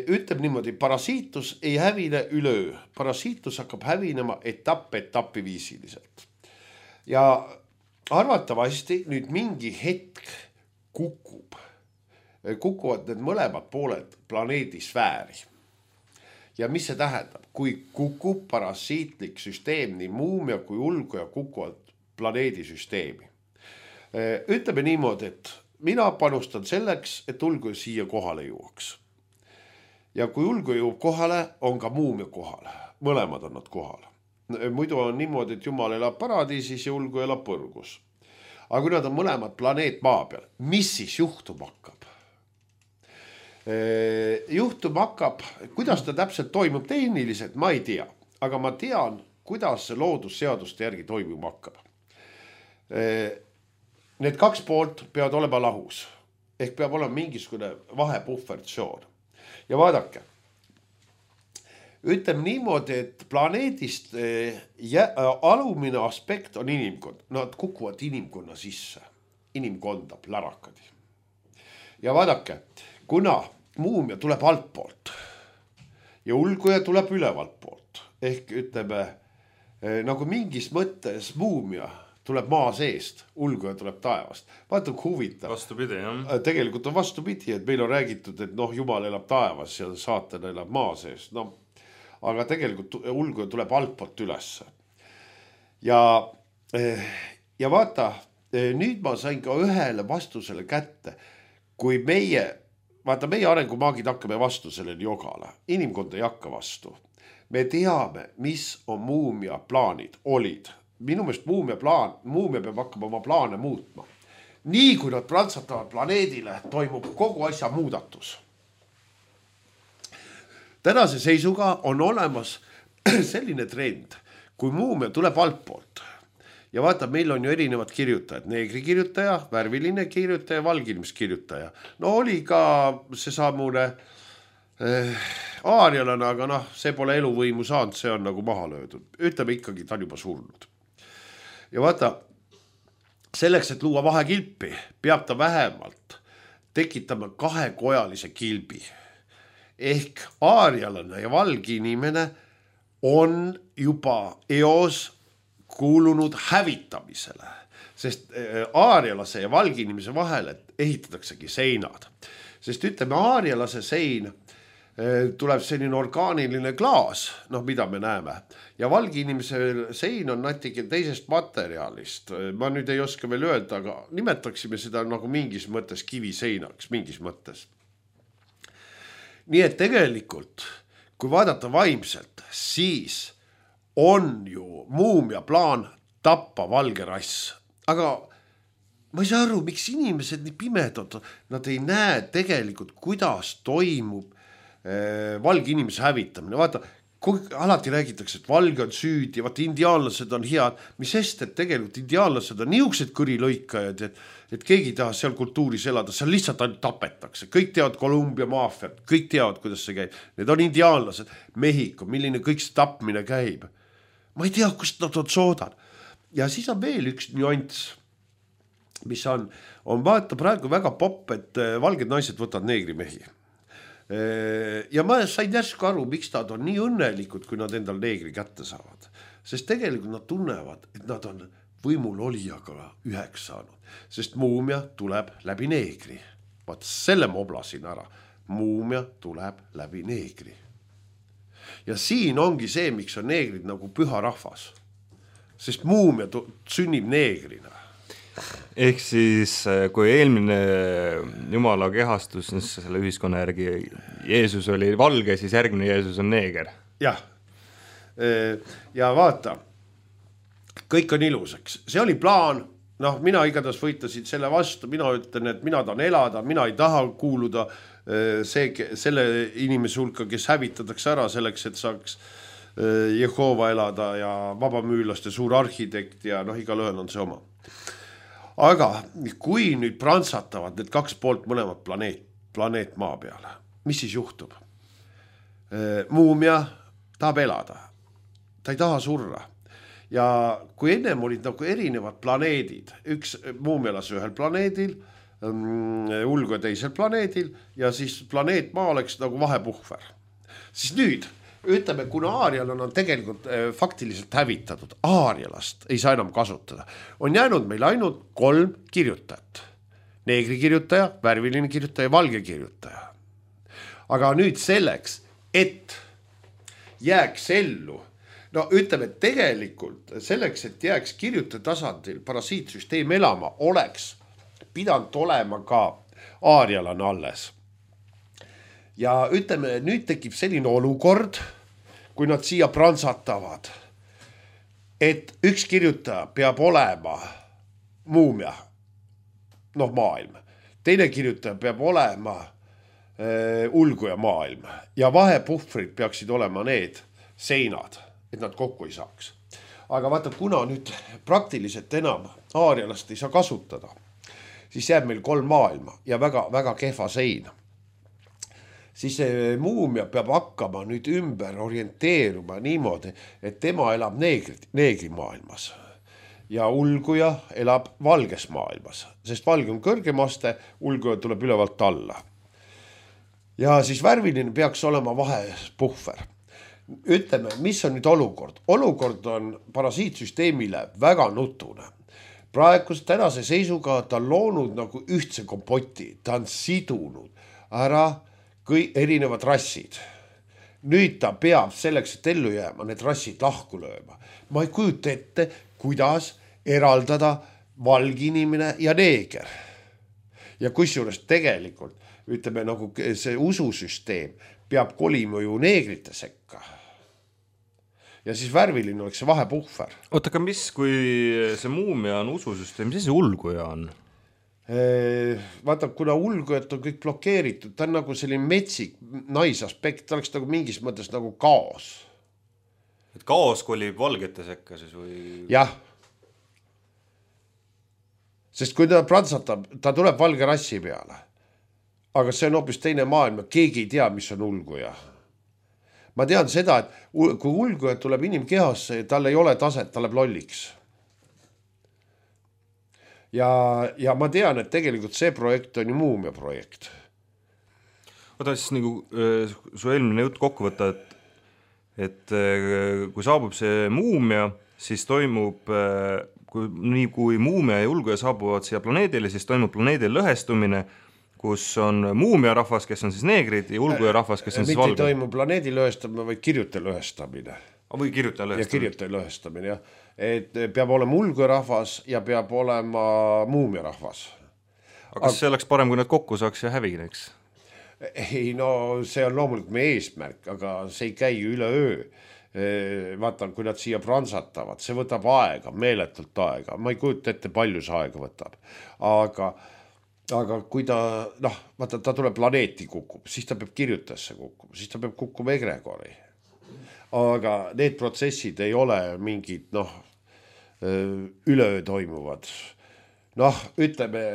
ütleb niimoodi, parasiitus ei hävine üleöö. Parasiitus hakkab hävinema etapi viisiliselt. Ja arvatavasti nüüd mingi hetk kukuvad need mõlemad pooled planeedi sfääri. Ja mis see tähendab? Kui kukub parasiitlik süsteem, nii muumia kui ulguja kukuvad planeedi süsteemi. Ütleme niimoodi, et mina panustan selleks, et ulguja siia kohale jõuaks. Ja kui ulguja jõuab kohale, on ka muumia kohal. Mõlemad on nad kohal. Muidu on niimoodi, et Jumal elab paradiisis ja ulgu elab põrgus. Aga kui nad on mõlemad planeet maa peal, mis siis juhtum hakkab? Juhtum hakkab, kuidas ta täpselt toimub tehniliselt, ma ei tea. Aga ma tean, kuidas see loodusseaduste järgi toimuma hakkab. Need kaks poolt peavad olema lahus. Ehk peab olema mingisugune vahepuhvertsioon. Ja vaadake. Ütleme niimoodi, et planeedist alumine aspekt on inimkond. Nad kukuvad inimkonna sisse. Inimkonda, lärakad. Ja vaadake, kuna muumia tuleb altpoolt ja ulguja tuleb ülevalt poolt, ehk ütleme, nagu mingis mõttes muumia tuleb maa seest, ulguja tuleb taevast. Vaata, kui huvitav. Vastupidi, jah. Tegelikult on vastupidi, et meil on räägitud, et noh, Jumal elab taevas ja saatan elab maa seest. No, aga tegelikult ulguja tuleb altpoolt ülesse. Ja vaata, nüüd ma sain ka ühele vastusele kätte, kui meie arengumaagid hakkame vastu sellele jogale, inimkond ei hakka vastu. Me teame, mis on muumia plaanid, olid. Minu meelest muumia peab hakkama oma plaane muutma. Nii kui nad prantsatavad planeedile, toimub kogu asja muudatus. Tänase seisuga on olemas selline trend, kui muumia tuleb altpoolt. Ja vaata, meil on ju erinevad kirjutajad, neegri kirjutaja, värviline kirjutaja, valgilmiskirjutaja. No oli ka see samune aarialane, aga noh, see pole eluvõimu saanud, see on nagu maha löödud. Ütleme ikkagi, ta on juba surnud. Ja vaata, selleks, et luua vahekilpi, peab ta vähemalt tekitama kahekojalise kilbi. Ehk aarialane ja valgi inimene on juba eos kuulunud hävitamisele, sest aarialase ja valgi inimese vahele ehitataksegi seinad. Sest ütleme, aarialase sein tuleb selline orgaaniline klaas, noh, mida me näeme. Ja valge inimese sein on natuke teisest materjalist. Ma nüüd ei oska veel öelda, aga nimetaksime seda nagu mingis mõttes kiviseinaks, mingis mõttes. Nii et tegelikult, kui vaadata vaimselt, siis on ju muumia plaan tappa valge rass. Aga ma ei saa aru, miks inimesed nii pimedad, nad ei näe tegelikult, kuidas toimub valge inimese hävitamine. Vaata, alati räägitakse, et valge on süüdi, vaata indiaanlased on head, mis sest, et tegelikult indiaanlased on niisugused kõrilõikajad, et keegi ei taha seal kultuuris elada, seal lihtsalt ainult tapetakse. Kõik teavad Kolumbia maafiat, kõik teavad, kuidas see käib. Need on indiaanlased, Mehhiko, milline kõik see tapmine käib. Ma ei tea, kust nad on soodan. Ja siis on veel üks nüanss, mis on vaata praegu väga popp, et valged naised võtavad neegrimehi. Ja ma sain järsku aru, miks nad on nii õnnelikud, kui nad endal neegri kätte saavad. Sest tegelikult nad tunnevad, et nad on võimul olijaga üheks saanud. Sest muumia tuleb läbi neegri. Vaat selle ma oblasin ära. Muumia tuleb läbi neegri. Ja siin ongi see, miks on neegrid nagu püha rahvas. Sest muumia sünnib neegrina. Ehk siis, kui eelmine Jumala kehastus selle ühiskonna järgi Jeesus oli valge, siis järgmine Jeesus on neeger. Jah. Ja vaata, kõik on ilusaks. See oli plaan, noh, mina igatahes võitasin selle vastu, mina ütlen, et mina tahan elada, mina ei taha kuuluda selle inimese hulka, kes hävitatakse ära selleks, et saaks Jehova elada ja vabamüürlaste suur arhitekt ja noh, igal ühel on see oma. Aga kui nüüd prantsatavad need kaks poolt mõlemad planeet maa peale, mis siis juhtub? Muumia tahab elada, ta ei taha surra. Ja kui ennem olid nagu erinevad planeedid, üks muumia elas ühel planeedil, ulgu teisel planeedil ja siis planeet maa oleks nagu vahepuhver. Siis nüüd ütleme, kuna aarial on tegelikult faktiliselt hävitatud, aarialast ei saa enam kasutada. On jäänud meil ainult 3 kirjutajat. Neegri kirjutaja, värviline kirjutaja ja valge kirjutaja. Aga nüüd selleks, et jääks ellu, no ütleme, tegelikult selleks, et jääks kirjutaja tasandil parasiitsüsteem elama, oleks pidanud olema ka aarialane alles. Ja ütleme, nüüd tekib selline olukord, kui nad siia prantsatavad, et üks kirjutaja peab olema muumia, noh maailm. Teine kirjutaja peab olema ulguja maailm ja vahepuhvrid peaksid olema need seinad, et nad kokku ei saaks. Aga vaata, kuna nüüd praktiliselt enam aarialast ei saa kasutada, siis jääb meil 3 maailma ja väga, väga kehva sein. Siis muumia peab hakkama nüüd ümber orienteeruma niimoodi, et tema elab neegri maailmas ja ulguja elab valges maailmas, sest valge on kõrgem aste, ulguja tuleb ülevalt alla. Ja siis värviline peaks olema vahepuhver. Ütleme, mis on nüüd olukord? Olukord on parasiitsüsteemile väga nutune. Praegu tänase seisuga ta on loonud nagu ühtse kompoti, ta on sidunud ära erinevad rassid. Nüüd ta peab selleks, et ellu jääma, need rassid lahku lööma. Ma ei kujuta ette, kuidas eraldada valge inimene ja neeger. Ja kusjuures tegelikult, ütleme, nagu see ususüsteem peab kolima ju neegrite sekka. Ja siis värviline oleks see vahepuhver. Oota, aga mis, kui see muumia on ususüsteem, mis see ulguja on? Vaata, kuna ulgujad on kõik blokeeritud, ta on nagu selline metsik naisaspekt, ta oleks nagu mingis mõttes nagu kaos. Et kaos kolib valgete sekka siis või? Jah. Sest kui ta prantsatab, ta tuleb valge rassi peale. Aga see on hoopis teine maailm, keegi ei tea, mis on ulguja. Ma tean seda, et kui ulguja tuleb inimkehasse, tal ei ole taset, ta läheb lolliks. Ja ma tean, et tegelikult see projekt on ju muumia projekt. Oota siis nagu su eelmine jutt kokku võtta, et kui saabub see muumia, siis toimub, nii kui muumia ja ulguja saabuvad siia planeedile, siis toimub planeedil lõhestumine, kus on muumia rahvas, kes on siis neegrid ja ulguja rahvas, kes on siis valge. Mitte ei toimu planeedi lõhestamine, vaid kirjutaja lõhestamine. Või kirjutaja lõhestamine. Ja kirjutaja lõhestamine, jah. Et peab olema ulguja rahvas ja peab olema muumia rahvas. Aga kas see oleks parem, kui nad kokku saaks ja hävineks? Ei, no see on loomulikult meie eesmärk, aga see ei käi üle öö. Vaatan, kui nad siia pransatavad, see võtab aega, meeletult aega. Ma ei kujuta ette, palju see aega võtab. Aga kui ta, vaata, ta tuleb planeeti kukub, siis ta peab kirjutajasse kukkuma, siis ta peab kukkuma egregori. Aga need protsessid ei ole mingid, üleöö toimuvad. Ütleme,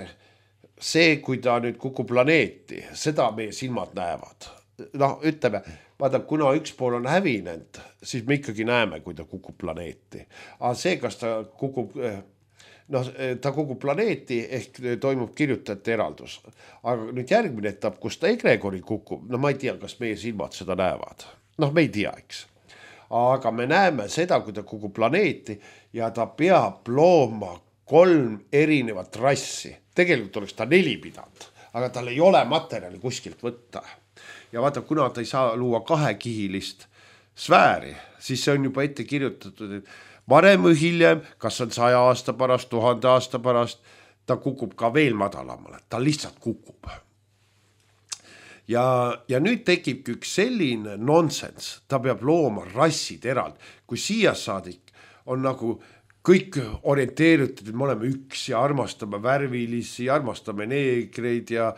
see, kui ta nüüd kukub planeeti, seda meie silmad näevad. Ütleme, vaata, kuna üks pool on hävinenud, siis me ikkagi näeme, kui ta kukub planeeti. Aga see, kas ta kukub, ta kukub planeeti ehk toimub kirjutajate eraldus. Aga nüüd järgmine etapp, kus ta egregori kukub, ma ei tea, kas meie silmad seda näevad. Me ei tea, eks. Aga me näeme seda, kui ta kukub planeeti ja ta peab looma 3 erinevat rassi. Tegelikult oleks ta 4 pidanud, aga tal ei ole materjali kuskilt võtta. Ja vaata, kuna ta ei saa luua 2-kihilist sfääri, siis see on juba ette kirjutatud, et varem või hiljem, kas on 100 aasta pärast, 1000 aasta pärast, ta kukub ka veel madalamale, ta lihtsalt kukub. Ja nüüd tekibki üks selline nonsense, ta peab looma rassid erald, kui siia saadik on nagu kõik orienteeritud, et me oleme üks ja armastame värvilisi, armastame neegreid ja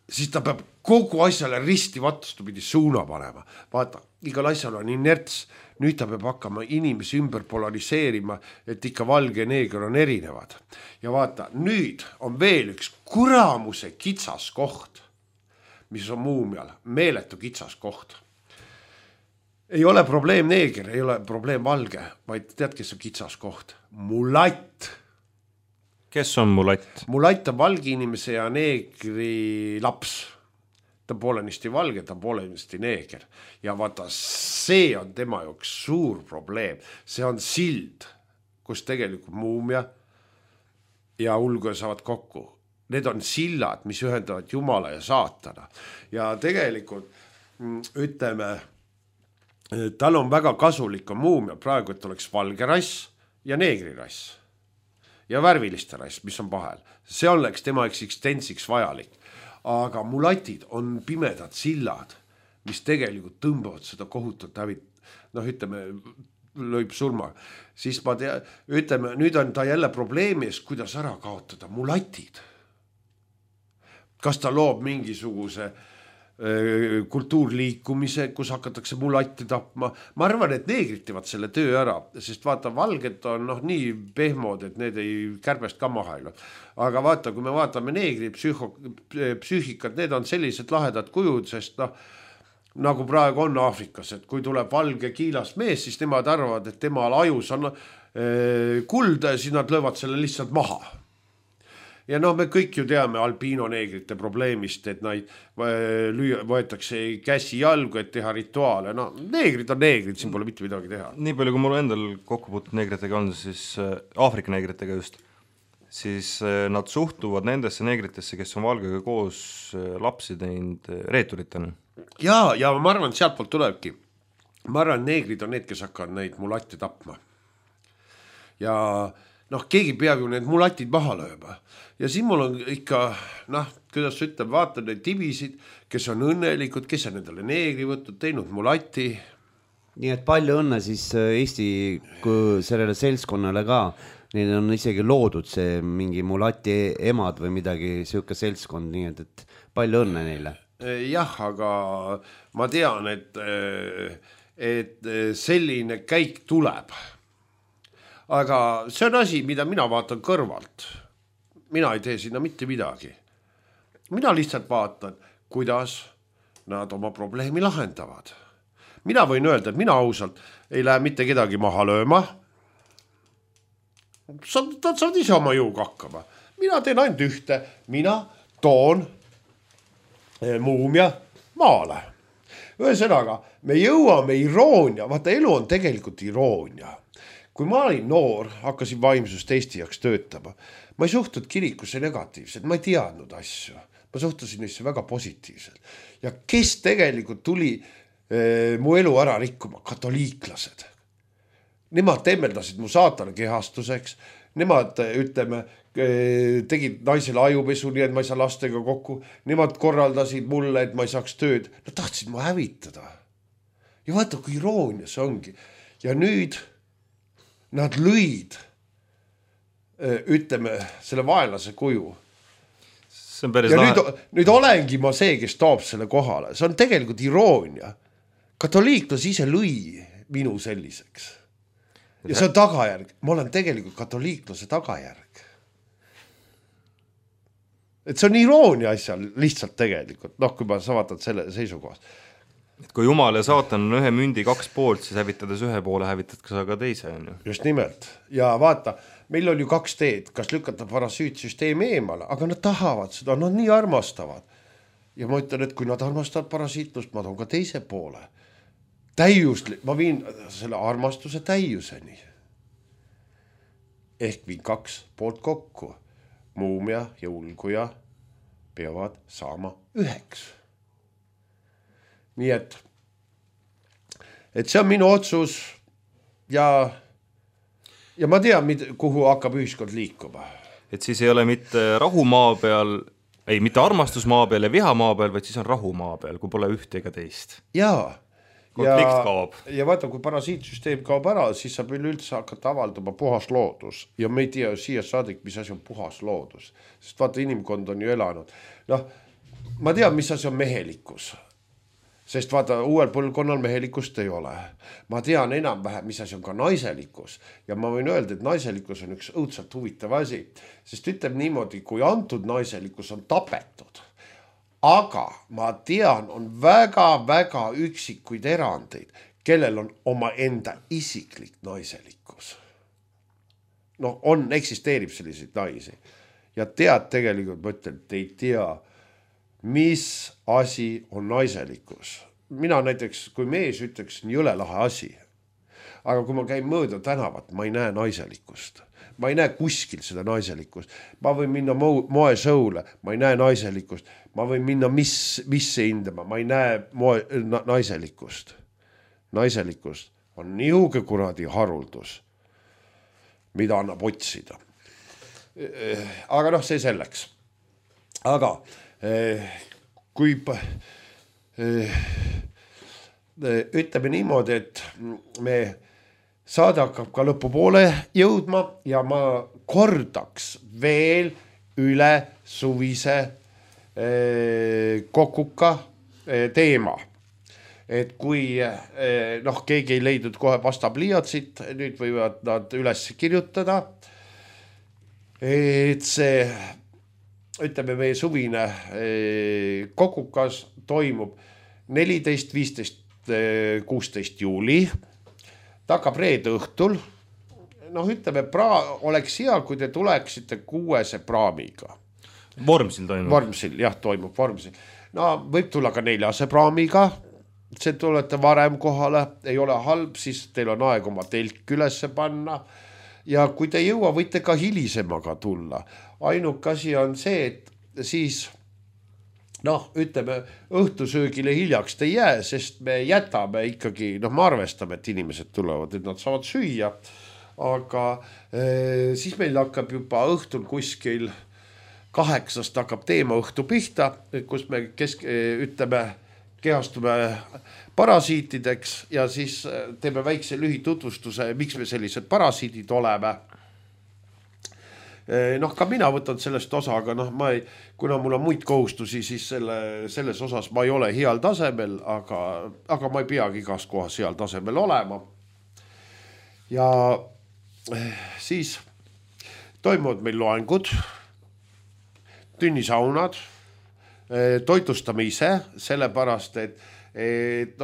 siis ta peab kogu asjale risti vastupidi suuna panema. Vaata, igal asjal on inerts, nüüd ta peab hakkama inimesi ümber polariseerima, et ikka valge ja neeger on erinevad. Ja vaata, nüüd on veel üks kuramuse kitsas koht, mis on muumial, meeletu kitsas koht. Ei ole probleem neeger, ei ole probleem valge, vaid tead, kes on kitsas koht? Mulatt. Kes on mulatt? Mulatt on valge inimese ja neegri laps. Ta on poolenisti valge, ta on poolenisti neeger. Ja vaata, see on tema jaoks suur probleem. See on sild, kus tegelikult muumia ja ulguja saavad kokku. Need on sillad, mis ühendavad Jumala ja saatana. Ja tegelikult, ütleme, tal on väga kasulik on muumia praegu, et oleks valge rass ja neegri rass ja värviliste rass, mis on vahel. See oleks tema eksistentsiks vajalik. Aga mulatid on pimedad sillad, mis tegelikult tõmbavad seda kohutut hävit. Ütleme, lõib surma. Siis ma ütleme, nüüd on ta jälle probleemis, kuidas ära kaotada mulatid. Kas ta loob mingisuguse kultuurliikumise, kus hakatakse mulatte tapma. Ma arvan, et neegrid teevad selle töö ära, sest vaata, valged on nii pehmod, et need ei kärbest ka maha ei. Aga vaata, kui me vaatame neegri psüühikat, need on sellised lahedad kujud, sest nagu praegu on Aafrikas, et kui tuleb valge kiilas mees, siis nemad arvavad, et temal ajus on kulda ja siis nad löövad selle lihtsalt maha. Ja me kõik ju teame albiino neegrite probleemist, et neid võetakse käsi jalgu, et teha rituaale. Neegrid on neegrid, siin pole mitte midagi teha. Nii palju, kui mul endal kokkupuutud neegritega on, siis Aafrika neegritega just, siis nad suhtuvad nendesse neegritesse, kes on valgega koos lapsi teinud reeturitena. Ja ma arvan, et sealt poolt tulebki. Ma arvan, neegrid on need, kes hakkavad neid mulatte tapma. Ja keegi peab ju need mulatid maha lööma. Ja siin mul on ikka, kuidas ütleb, vaatan neid tibisid, kes on õnnelikud, kes on endale neegri võtnud, teinud mulati. Nii et palju õnne siis Eesti sellele seltskonnale ka. Neil on isegi loodud see mingi mulati emad või midagi siuke seltskond, nii et palju õnne neile. Jah, aga ma tean, et selline käik tuleb. Aga see on asi, mida mina vaatan kõrvalt. Mina ei tee sinna mitte midagi. Mina lihtsalt vaatan, kuidas nad oma probleemi lahendavad. Mina võin öelda, et mina ausalt ei lähe mitte kedagi maha lööma. Nad saavad ise oma jõuga hakkama. Mina teen ainult ühte. Mina toon muumia maale. Ühesõnaga, me jõuame iroonia. Vaata, elu on tegelikult iroonia. kui ma olin noor, hakkasin vaimsust Eesti jaoks töötama, ma ei suhtunud kirikusse negatiivselt, ma ei teadnud asju, ma suhtusin neisse väga positiivselt. Ja kes tegelikult tuli mu elu ära rikkuma? Katoliiklased. Nemad temmeldasid mu saatana kehastuseks, nemad, ütleme, tegid naisele ajupesu, nii et ma ei saa lastega kokku, nemad korraldasid mulle, et ma ei saaks tööd, nad tahtsid mu hävitada. Ja vaata, kui iroonia see ongi. Ja nüüd nad lõid, ütleme, selle vaenlase kuju. See on päris ja lahe. nüüd olengi ma see, kes toob selle kohale. See on tegelikult iroonia. Katoliiklas ise lõi minu selliseks. Ja see on tagajärg. Ma olen tegelikult katoliiklase tagajärg. Et see on iroonia asja lihtsalt tegelikult, noh, kui ma vaatan selle seisukohast. Et kui Jumal ja saatan on ühe mündi 2 poolt, siis hävitades ühe poole, hävitad ka ka teise. On ju. Just nimelt. Ja vaata, meil on ju 2 teed, kas lükata parasiitsüsteemi eemale, aga nad tahavad seda, nad nii armastavad. Ja ma ütlen, et kui nad armastavad parasiitlust, ma toon ka teise poole. Ma viin selle armastuse täiuseni. Ehk viin 2 poolt kokku. Muumia ja ulguja peavad saama 1. Nii et see on minu otsus ja ma tean, kuhu hakkab ühiskond liikuma. Et siis ei ole mitte rahumaa peal, ei, mitte armastusmaa peal ja vihamaa peal, vaid siis on rahumaa peal, kui pole ühte ega teist. Jaa. Konflikt kaob. Ja vaata, kui parasiitsüsteem kaob ära, siis saab üleüldse hakata avaldama puhas loodus. Ja me ei tea siia saadik, mis asi on puhas loodus. Sest vaata, inimkond on ju elanud. Noh, ma tean, mis asi on mehelikkus. Sest vaata, uuel põlvkonnal mehelikust ei ole. Ma tean enam-vähem, mis asi on ka naiselikkus. Ja ma võin öelda, et naiselikkus on üks õudselt huvitav asi. Sest ütleb niimoodi, kui antud naiselikkus on tapetud. Aga ma tean, on väga-väga üksikuid erandeid, kellel on oma enda isiklik naiselikkus. Noh, eksisteerib selliseid naisi. Ja tead tegelikult, ma ütlen, et ei tea, mis asi on naiselikkus. Mina näiteks, kui mees ütleks, nii jõle lahe asi. Aga kui ma käin mööda tänavat, ma ei näe naiselikkust. Ma ei näe kuskil seda naiselikkust. Ma võin minna moesõule, ma ei näe naiselikkust. Ma võin minna misse hindama, ma ei näe naiselikkust. Naiselikkust on niuge kuradi haruldus, mida annab otsida. Aga noh, see selleks. Aga kui ütleme niimoodi, et me saade hakkab ka lõpupoole jõudma ja ma kordaks veel üle suvise kokuka teema. Et kui keegi ei leidnud kohe pastapliiatsit, nüüd võivad nad üles kirjutada. Et see, ütleme, meie suvine kokukas toimub 14, 15, 16 juuli. Ta hakkab reede õhtul. Noh, ütleme, oleks hea, kui te tuleksite 6 praamiga. Vormsil toimub? Vormsil, jah, toimub Vormsil. No, võib tulla ka 4 praamiga. See tulete varem kohale, ei ole halb, siis teil on aeg oma telk ülesse panna. Ja kui te jõua, võite ka hilisemaga tulla. Ainuk asi on see, et siis ütleme, õhtusöögile hiljaks te jää, sest me jätame ikkagi, me arvestame, et inimesed tulevad, et nad saavad süüa, aga siis meil hakkab juba õhtul kuskil 8 hakkab teema õhtu pihta, kus me ütleme, kehastume parasiitideks ja siis teeme väikse lühitutvustuse, miks me sellised parasiidid oleme. Ka mina võtan sellest osa, aga kuna mul on muid kohustusi, siis selles osas ma ei ole heal tasemel, aga ma ei peagi igas kohas heal tasemel olema. Ja siis toimuvad meil loengud, tünnisaunad, toitustame ise, sellepärast, et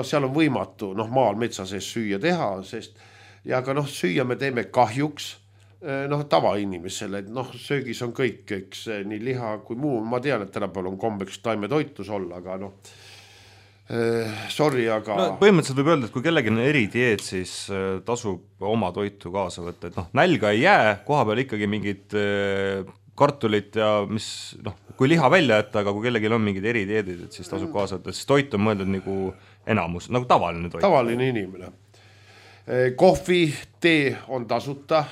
seal on võimatu maal metsa sees süüa teha, ja ka süüa me teeme kahjuks, tavainimesele, et söögis on kõik, eks nii liha kui muu, ma tean, et tänapäeval on kombeks taimetoitlus olla, aga sorry, aga no, põhimõtteliselt võib öelda, et kui kellegi on eridieet, siis tasub oma toitu kaasa võtta, et nälga ei jää, koha peal ikkagi mingid kartulit ja mis, kui liha välja jätta, aga kui kellelgi on mingid eridieedid, et siis tasub kaasa võtta, siis toit on mõeldud nagu enamus, nagu tavaline toit. Tavaline inimene. Kohvi, tee on tasuta,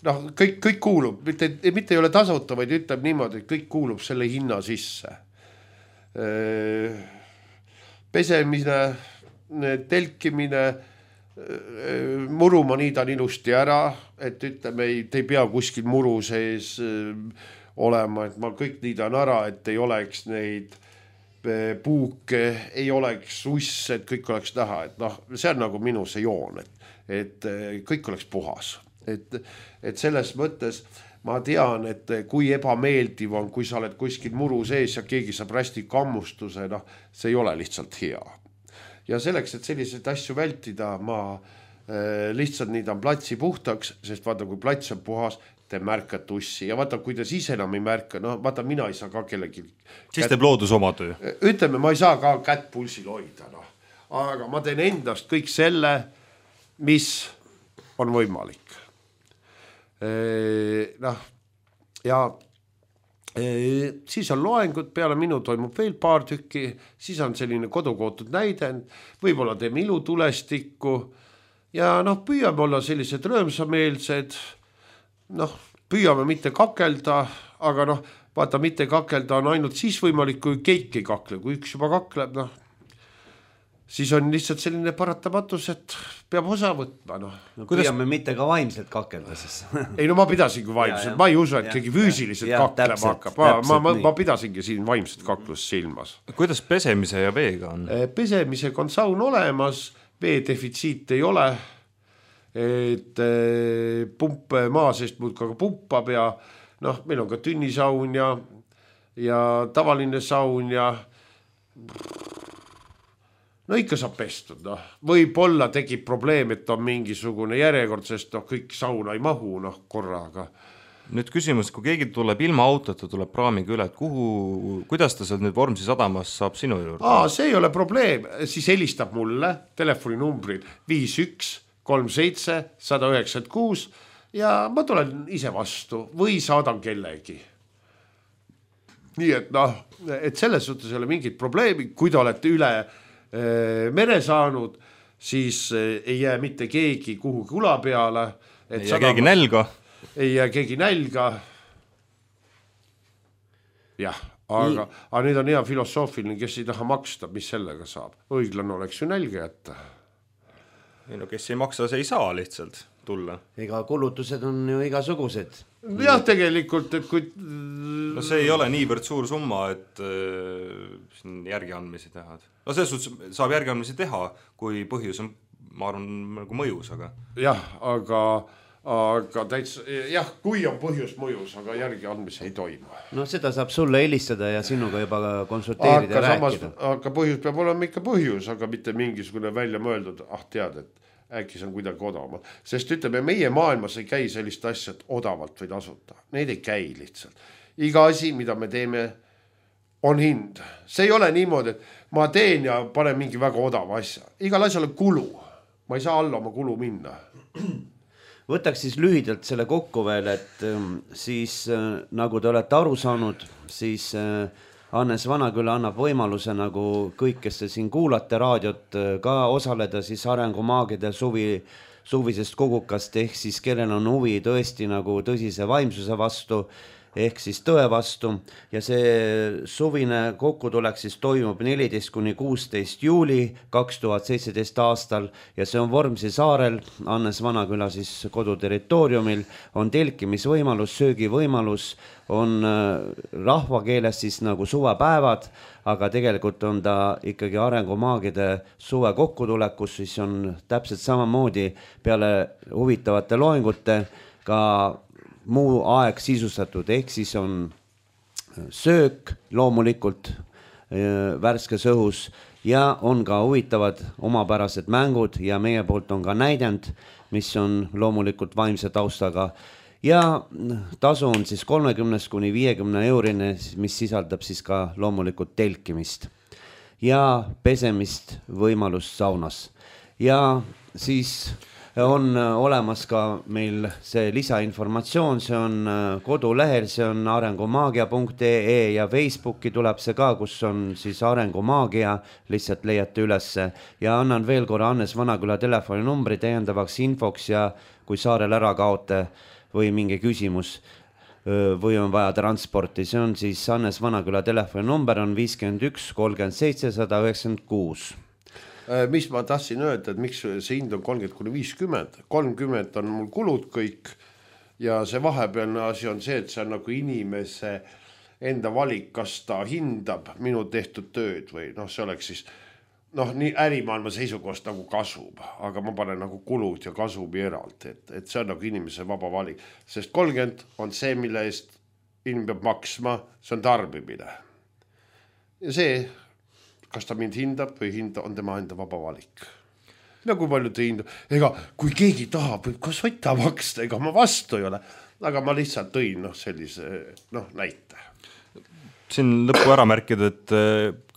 kõik kuulub, mitte ei ole tasuta, vaid ütleb niimoodi, et kõik kuulub selle hinna sisse. Pesemine, telkimine, muru ma niidan ilusti ära, et ütleme, te ei pea kuskil muru sees olema, et ma kõik niidan ära, et ei oleks neid puuke, ei oleks uss, et kõik oleks näha, et see on nagu minu see joon, et kõik oleks puhas. Et selles mõttes ma tean, et kui ebameeldiv on, kui sa oled kuskil muru sees ja keegi saab rästi kammustuse, see ei ole lihtsalt hea. Ja selleks, et selliseid asju vältida, ma lihtsalt niidan platsi puhtaks, sest vaata, kui plats on puhas, te märkate ussi. Ja vaata, kui te siis enam ei märka, vaata, mina ei saa ka kellegi... Siis teeb loodus oma töö. Ütleme, ma ei saa ka kätt pulsil hoida, aga ma teen endast kõik selle, mis on võimalik. Ja siis on loengud, peale minu toimub veel paar tükki, siis on selline kodukootud näidend, võib-olla teeme ilutulestikku ja püüame olla sellised rõõmsameelsed, püüame mitte kakelda, aga vaata, mitte kakelda on ainult siis võimalik, kui keik ei kakle, kui üks juba kakleb, siis on lihtsalt selline paratamatus, et peab osa võtma. Püüame mitte ka vaimselt kakelda siis. Ei, ma pidasingi vaimselt, ma ei usu, et keegi füüsiliselt kaklema hakkab. Ma pidasingi siin vaimset kaklust silmas. Kuidas pesemise ja veega on? Pesemisega on saun olemas, vee defitsiit ei ole, et pump maa seest muudka pumpab ja meil on ka tünnisaun ja tavaline saun ja ikka saab pestud, võib-olla tegib probleem, et on mingisugune järjekord, sest kõik sauna ei mahu korraga. Nüüd küsimus, kui keegi tuleb ilma autota, tuleb praamiga üle, et kuidas ta seal nüüd Vormsi sadamas saab sinu juurde? See ei ole probleem, siis helistab mulle telefoninumbril 5137 196 ja ma tulen ise vastu või saadan kellegi. Nii et selles suhtes ei ole mingit probleemi, kui te olete üle mere saanud, siis ei jää mitte keegi kuhu kula peale. Ei jää keegi nälga. Ei jää keegi nälga. Jah, aga nüüd on hea filosoofiline, kes ei taha maksta, mis sellega saab. Õiglane oleks ju nälga jätta. Kes ei maksa, see ei saa lihtsalt tulla. Ega kulutused on ju igasugused. Jah, tegelikult, et kui... see ei ole niivõrd suur summa, et järgiandmisi teha. Selles suhtes saab järgiandmisi teha, kui põhjus on, ma arvan, nagu mõjus, aga... Jah, aga täitsa, kui on põhjus mõjus, aga järgiandmisi ei toimu. Seda saab sulle helistada ja sinuga juba konsulteerida ja rääkida. Aga põhjus peab olema ikka põhjus, aga mitte mingisugune välja mõeldud, tead, et äkki see on kuidagi odavamalt. Sest ütleme, meie maailmas ei käi sellist asja, et odavalt või tasuta. Need ei käi lihtsalt. Iga asi, mida me teeme, on hind. See ei ole niimoodi, et ma teen ja panen mingi väga odava asja. Igal asjal on kulu. Ma ei saa alla oma kulu minna. Võtaks siis lühidalt selle kokku veel, et siis nagu te olete aru saanud, siis Hannes Vanaküla annab võimaluse nagu kõik, kes te siin kuulate raadiot, ka osaleda siis Arengumaagide suvisest kogukast, ehk siis kellel on huvi tõesti nagu tõsise vaimsuse vastu, ehk siis tõe vastu ja see suvine kokkutulek siis toimub 14–16 juuli 2017 aastal ja see on Vormsi saarel, Hannes Vanaküla siis koduterritooriumil, on telkimisvõimalus, söögivõimalus, on rahvakeeles siis nagu suvepäevad, aga tegelikult on ta ikkagi Arengumaagide suve kokkutulekus, siis on täpselt samamoodi peale huvitavate loengute ka muu aeg sisustatud, ehk siis on söök loomulikult värskes õhus ja on ka huvitavad omapärased mängud ja meie poolt on ka näidend, mis on loomulikult vaimse taustaga ja tasu on siis 30–50 eurine, mis sisaldab siis ka loomulikult telkimist. ja pesemist võimalust saunas. Ja siis on olemas ka meil see lisainformatsioon, see on kodulehel, see on arengumaagia.ee ja Facebooki tuleb see ka, kus on siis Arengumaagia, lihtsalt leiate ülesse ja annan veel korra Hannes Vanaküla telefoninumbri täiendavaks infoks ja kui saarel ära kaote või mingi küsimus või on vaja transporti, see on siis Hannes Vanaküla telefoninumber on 51 37 196. Mis ma tahtsin öelda, et miks see hind on 30–50, 30 on mul kulud kõik ja see vahepealne asi on see, et see on nagu inimese enda valik, kas ta hindab minu tehtud tööd või see oleks siis nii ärimaailma seisukohast nagu kasub, aga ma panen nagu kulud ja kasumi eraldi, et see on nagu inimese vaba valik, sest 30 on see, mille eest inimene peab maksma, see on tarbimine ja see kas ta mind hindab või hinda, on tema enda vaba valik. Kui palju ta hindab, ega kui keegi tahab, kas võtta maksta, ega ma vastu ei ole, aga ma lihtsalt tõin sellise näite. Siin lõppu ära märkida, et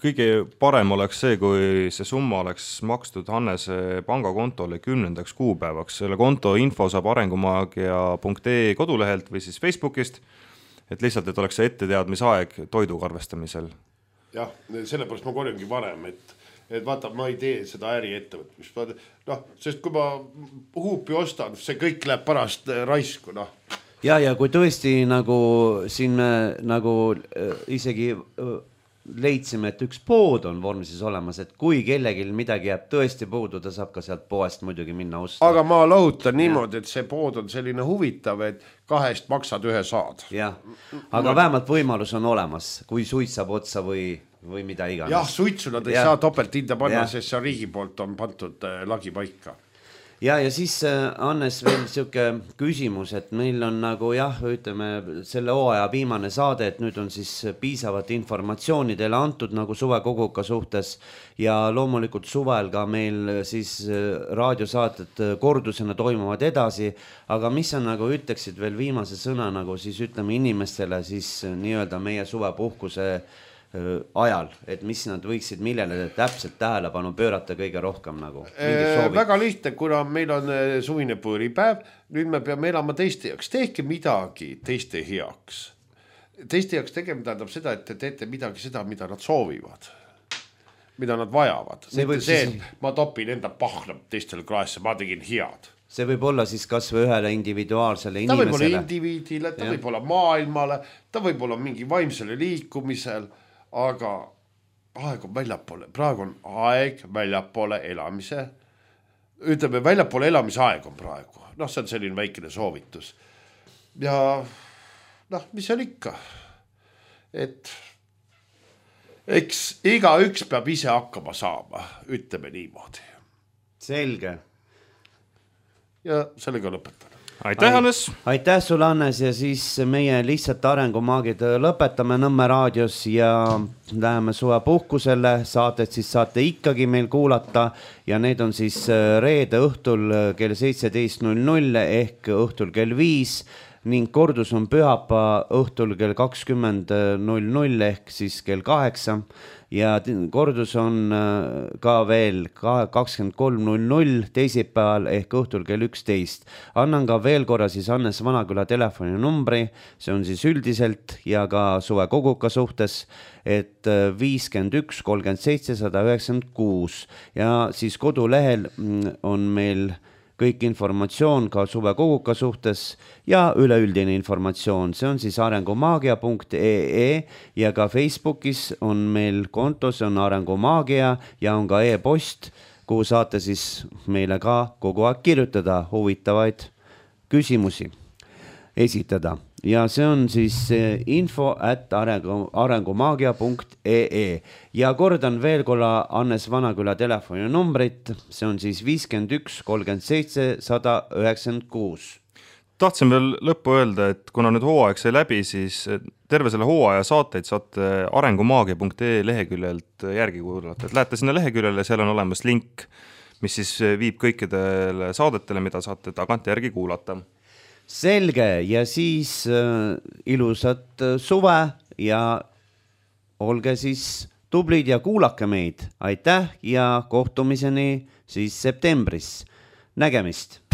kõige parem oleks see, kui see summa oleks makstud Hannese pangakontole 10. kuupäevaks. Selle konto info saab arengumaagia.ee kodulehelt või siis Facebookist, et lihtsalt, et oleks see etteteadmisaeg toiduga arvestamisel. Jah, sellepärast ma korjangi varem, et vaata, ma ei tee seda äriettevõtmist. Sest kui ma huupi ostan, see kõik läheb pärast raisku. Ja kui tõesti nagu siin me nagu isegi leidsime, et üks pood on Vormsis olemas, et kui kellegil midagi jääb tõesti puudu, ta saab ka sealt poest muidugi minna osta. Aga ma lahutan niimoodi, et see pood on selline huvitav, et 2 maksad 1 saad. Jah, aga vähemalt võimalus on olemas, kui suit saab otsa või mida iganes. Jah, suitsu nad ei saa topelt hinda panna, sest see riigi poolt on pandud lagi paika. Ja siis Hannes veel siuke küsimus, et meil on nagu ütleme selle hooaja viimane saade, et nüüd on siis piisavat informatsiooni teile antud nagu suvekoguka suhtes ja loomulikult suvel ka meil siis raadiosaated kordusena toimuvad edasi, aga mis sa nagu ütleksid veel viimase sõna nagu siis ütleme inimestele siis nii-öelda meie suvepuhkuse ajal, et mis nad võiksid millele täpselt tähelepanu pöörata kõige rohkem nagu? Väga lihtne, kuna meil on suvine põõripäev, nüüd me peame elama teiste jaoks. Tehke midagi teiste heaks. Teiste jaoks tegema tähendab seda, et te teete midagi seda, mida nad soovivad, mida nad vajavad. Ma topin enda pahna teistele klaesse, ma tegin head. See võib olla siis kas või ühele individuaalsele inimesele. Ta võib olla indiviidile, ta võib olla maailmale, ta võib olla mingi vaimsele liikumisel, aga aeg on väljapoole, praegu on aeg väljapoole elamise, ütleme väljapoole elamise aeg on praegu, see on selline väikene soovitus ja mis on ikka, et eks iga üks peab ise hakkama saama, ütleme niimoodi. Selge. Ja sellega lõpetan. Aitäh, Hannes! Aitäh sulle, Hannes, ja siis meie lihtsalt arengumaagid lõpetame Nõmme raadios ja läheme suvepuhkusele, saated siis saate ikkagi meil kuulata ja need on siis reede õhtul kell 17.00 ehk õhtul kell 5 ning kordus on pühapa õhtul kell 20.00 ehk siis kell 8 ja kordus on ka veel 23.00 teisipäeval ehk õhtul kell 11. Annan ka veel korra siis Hannes Vanaküla telefoninumbri, see on siis üldiselt ja ka suvekoguka suhtes, et 51 37 196 ja siis kodulehel on meil kõik informatsioon ka suvekoguka suhtes ja üleüldine informatsioon, see on siis arengumaagia.ee ja ka Facebookis on meil konto, see on Arengumaagia ja on ka e-post, kuhu saate siis meile ka kogu aeg kirjutada huvitavaid küsimusi esitada. Ja see on siis info@arengumaagia.ee ja kordan veel korra Hannes Vanaküla telefoninumbrit, see on siis 51 37 196. Tahtsin veel lõppu öelda, et kuna nüüd hooaeg sai läbi, siis terve selle hooaja saateid saate arengumaagia.ee leheküljelt järgi kuulata. Et lähete sinna leheküljele, seal on olemas link, mis siis viib kõikidele saadetele, mida saate tagant järgi kuulata. Selge ja siis ilusat suve ja olge siis tublid ja kuulake meid, aitäh ja kohtumiseni siis septembris. Nägemist!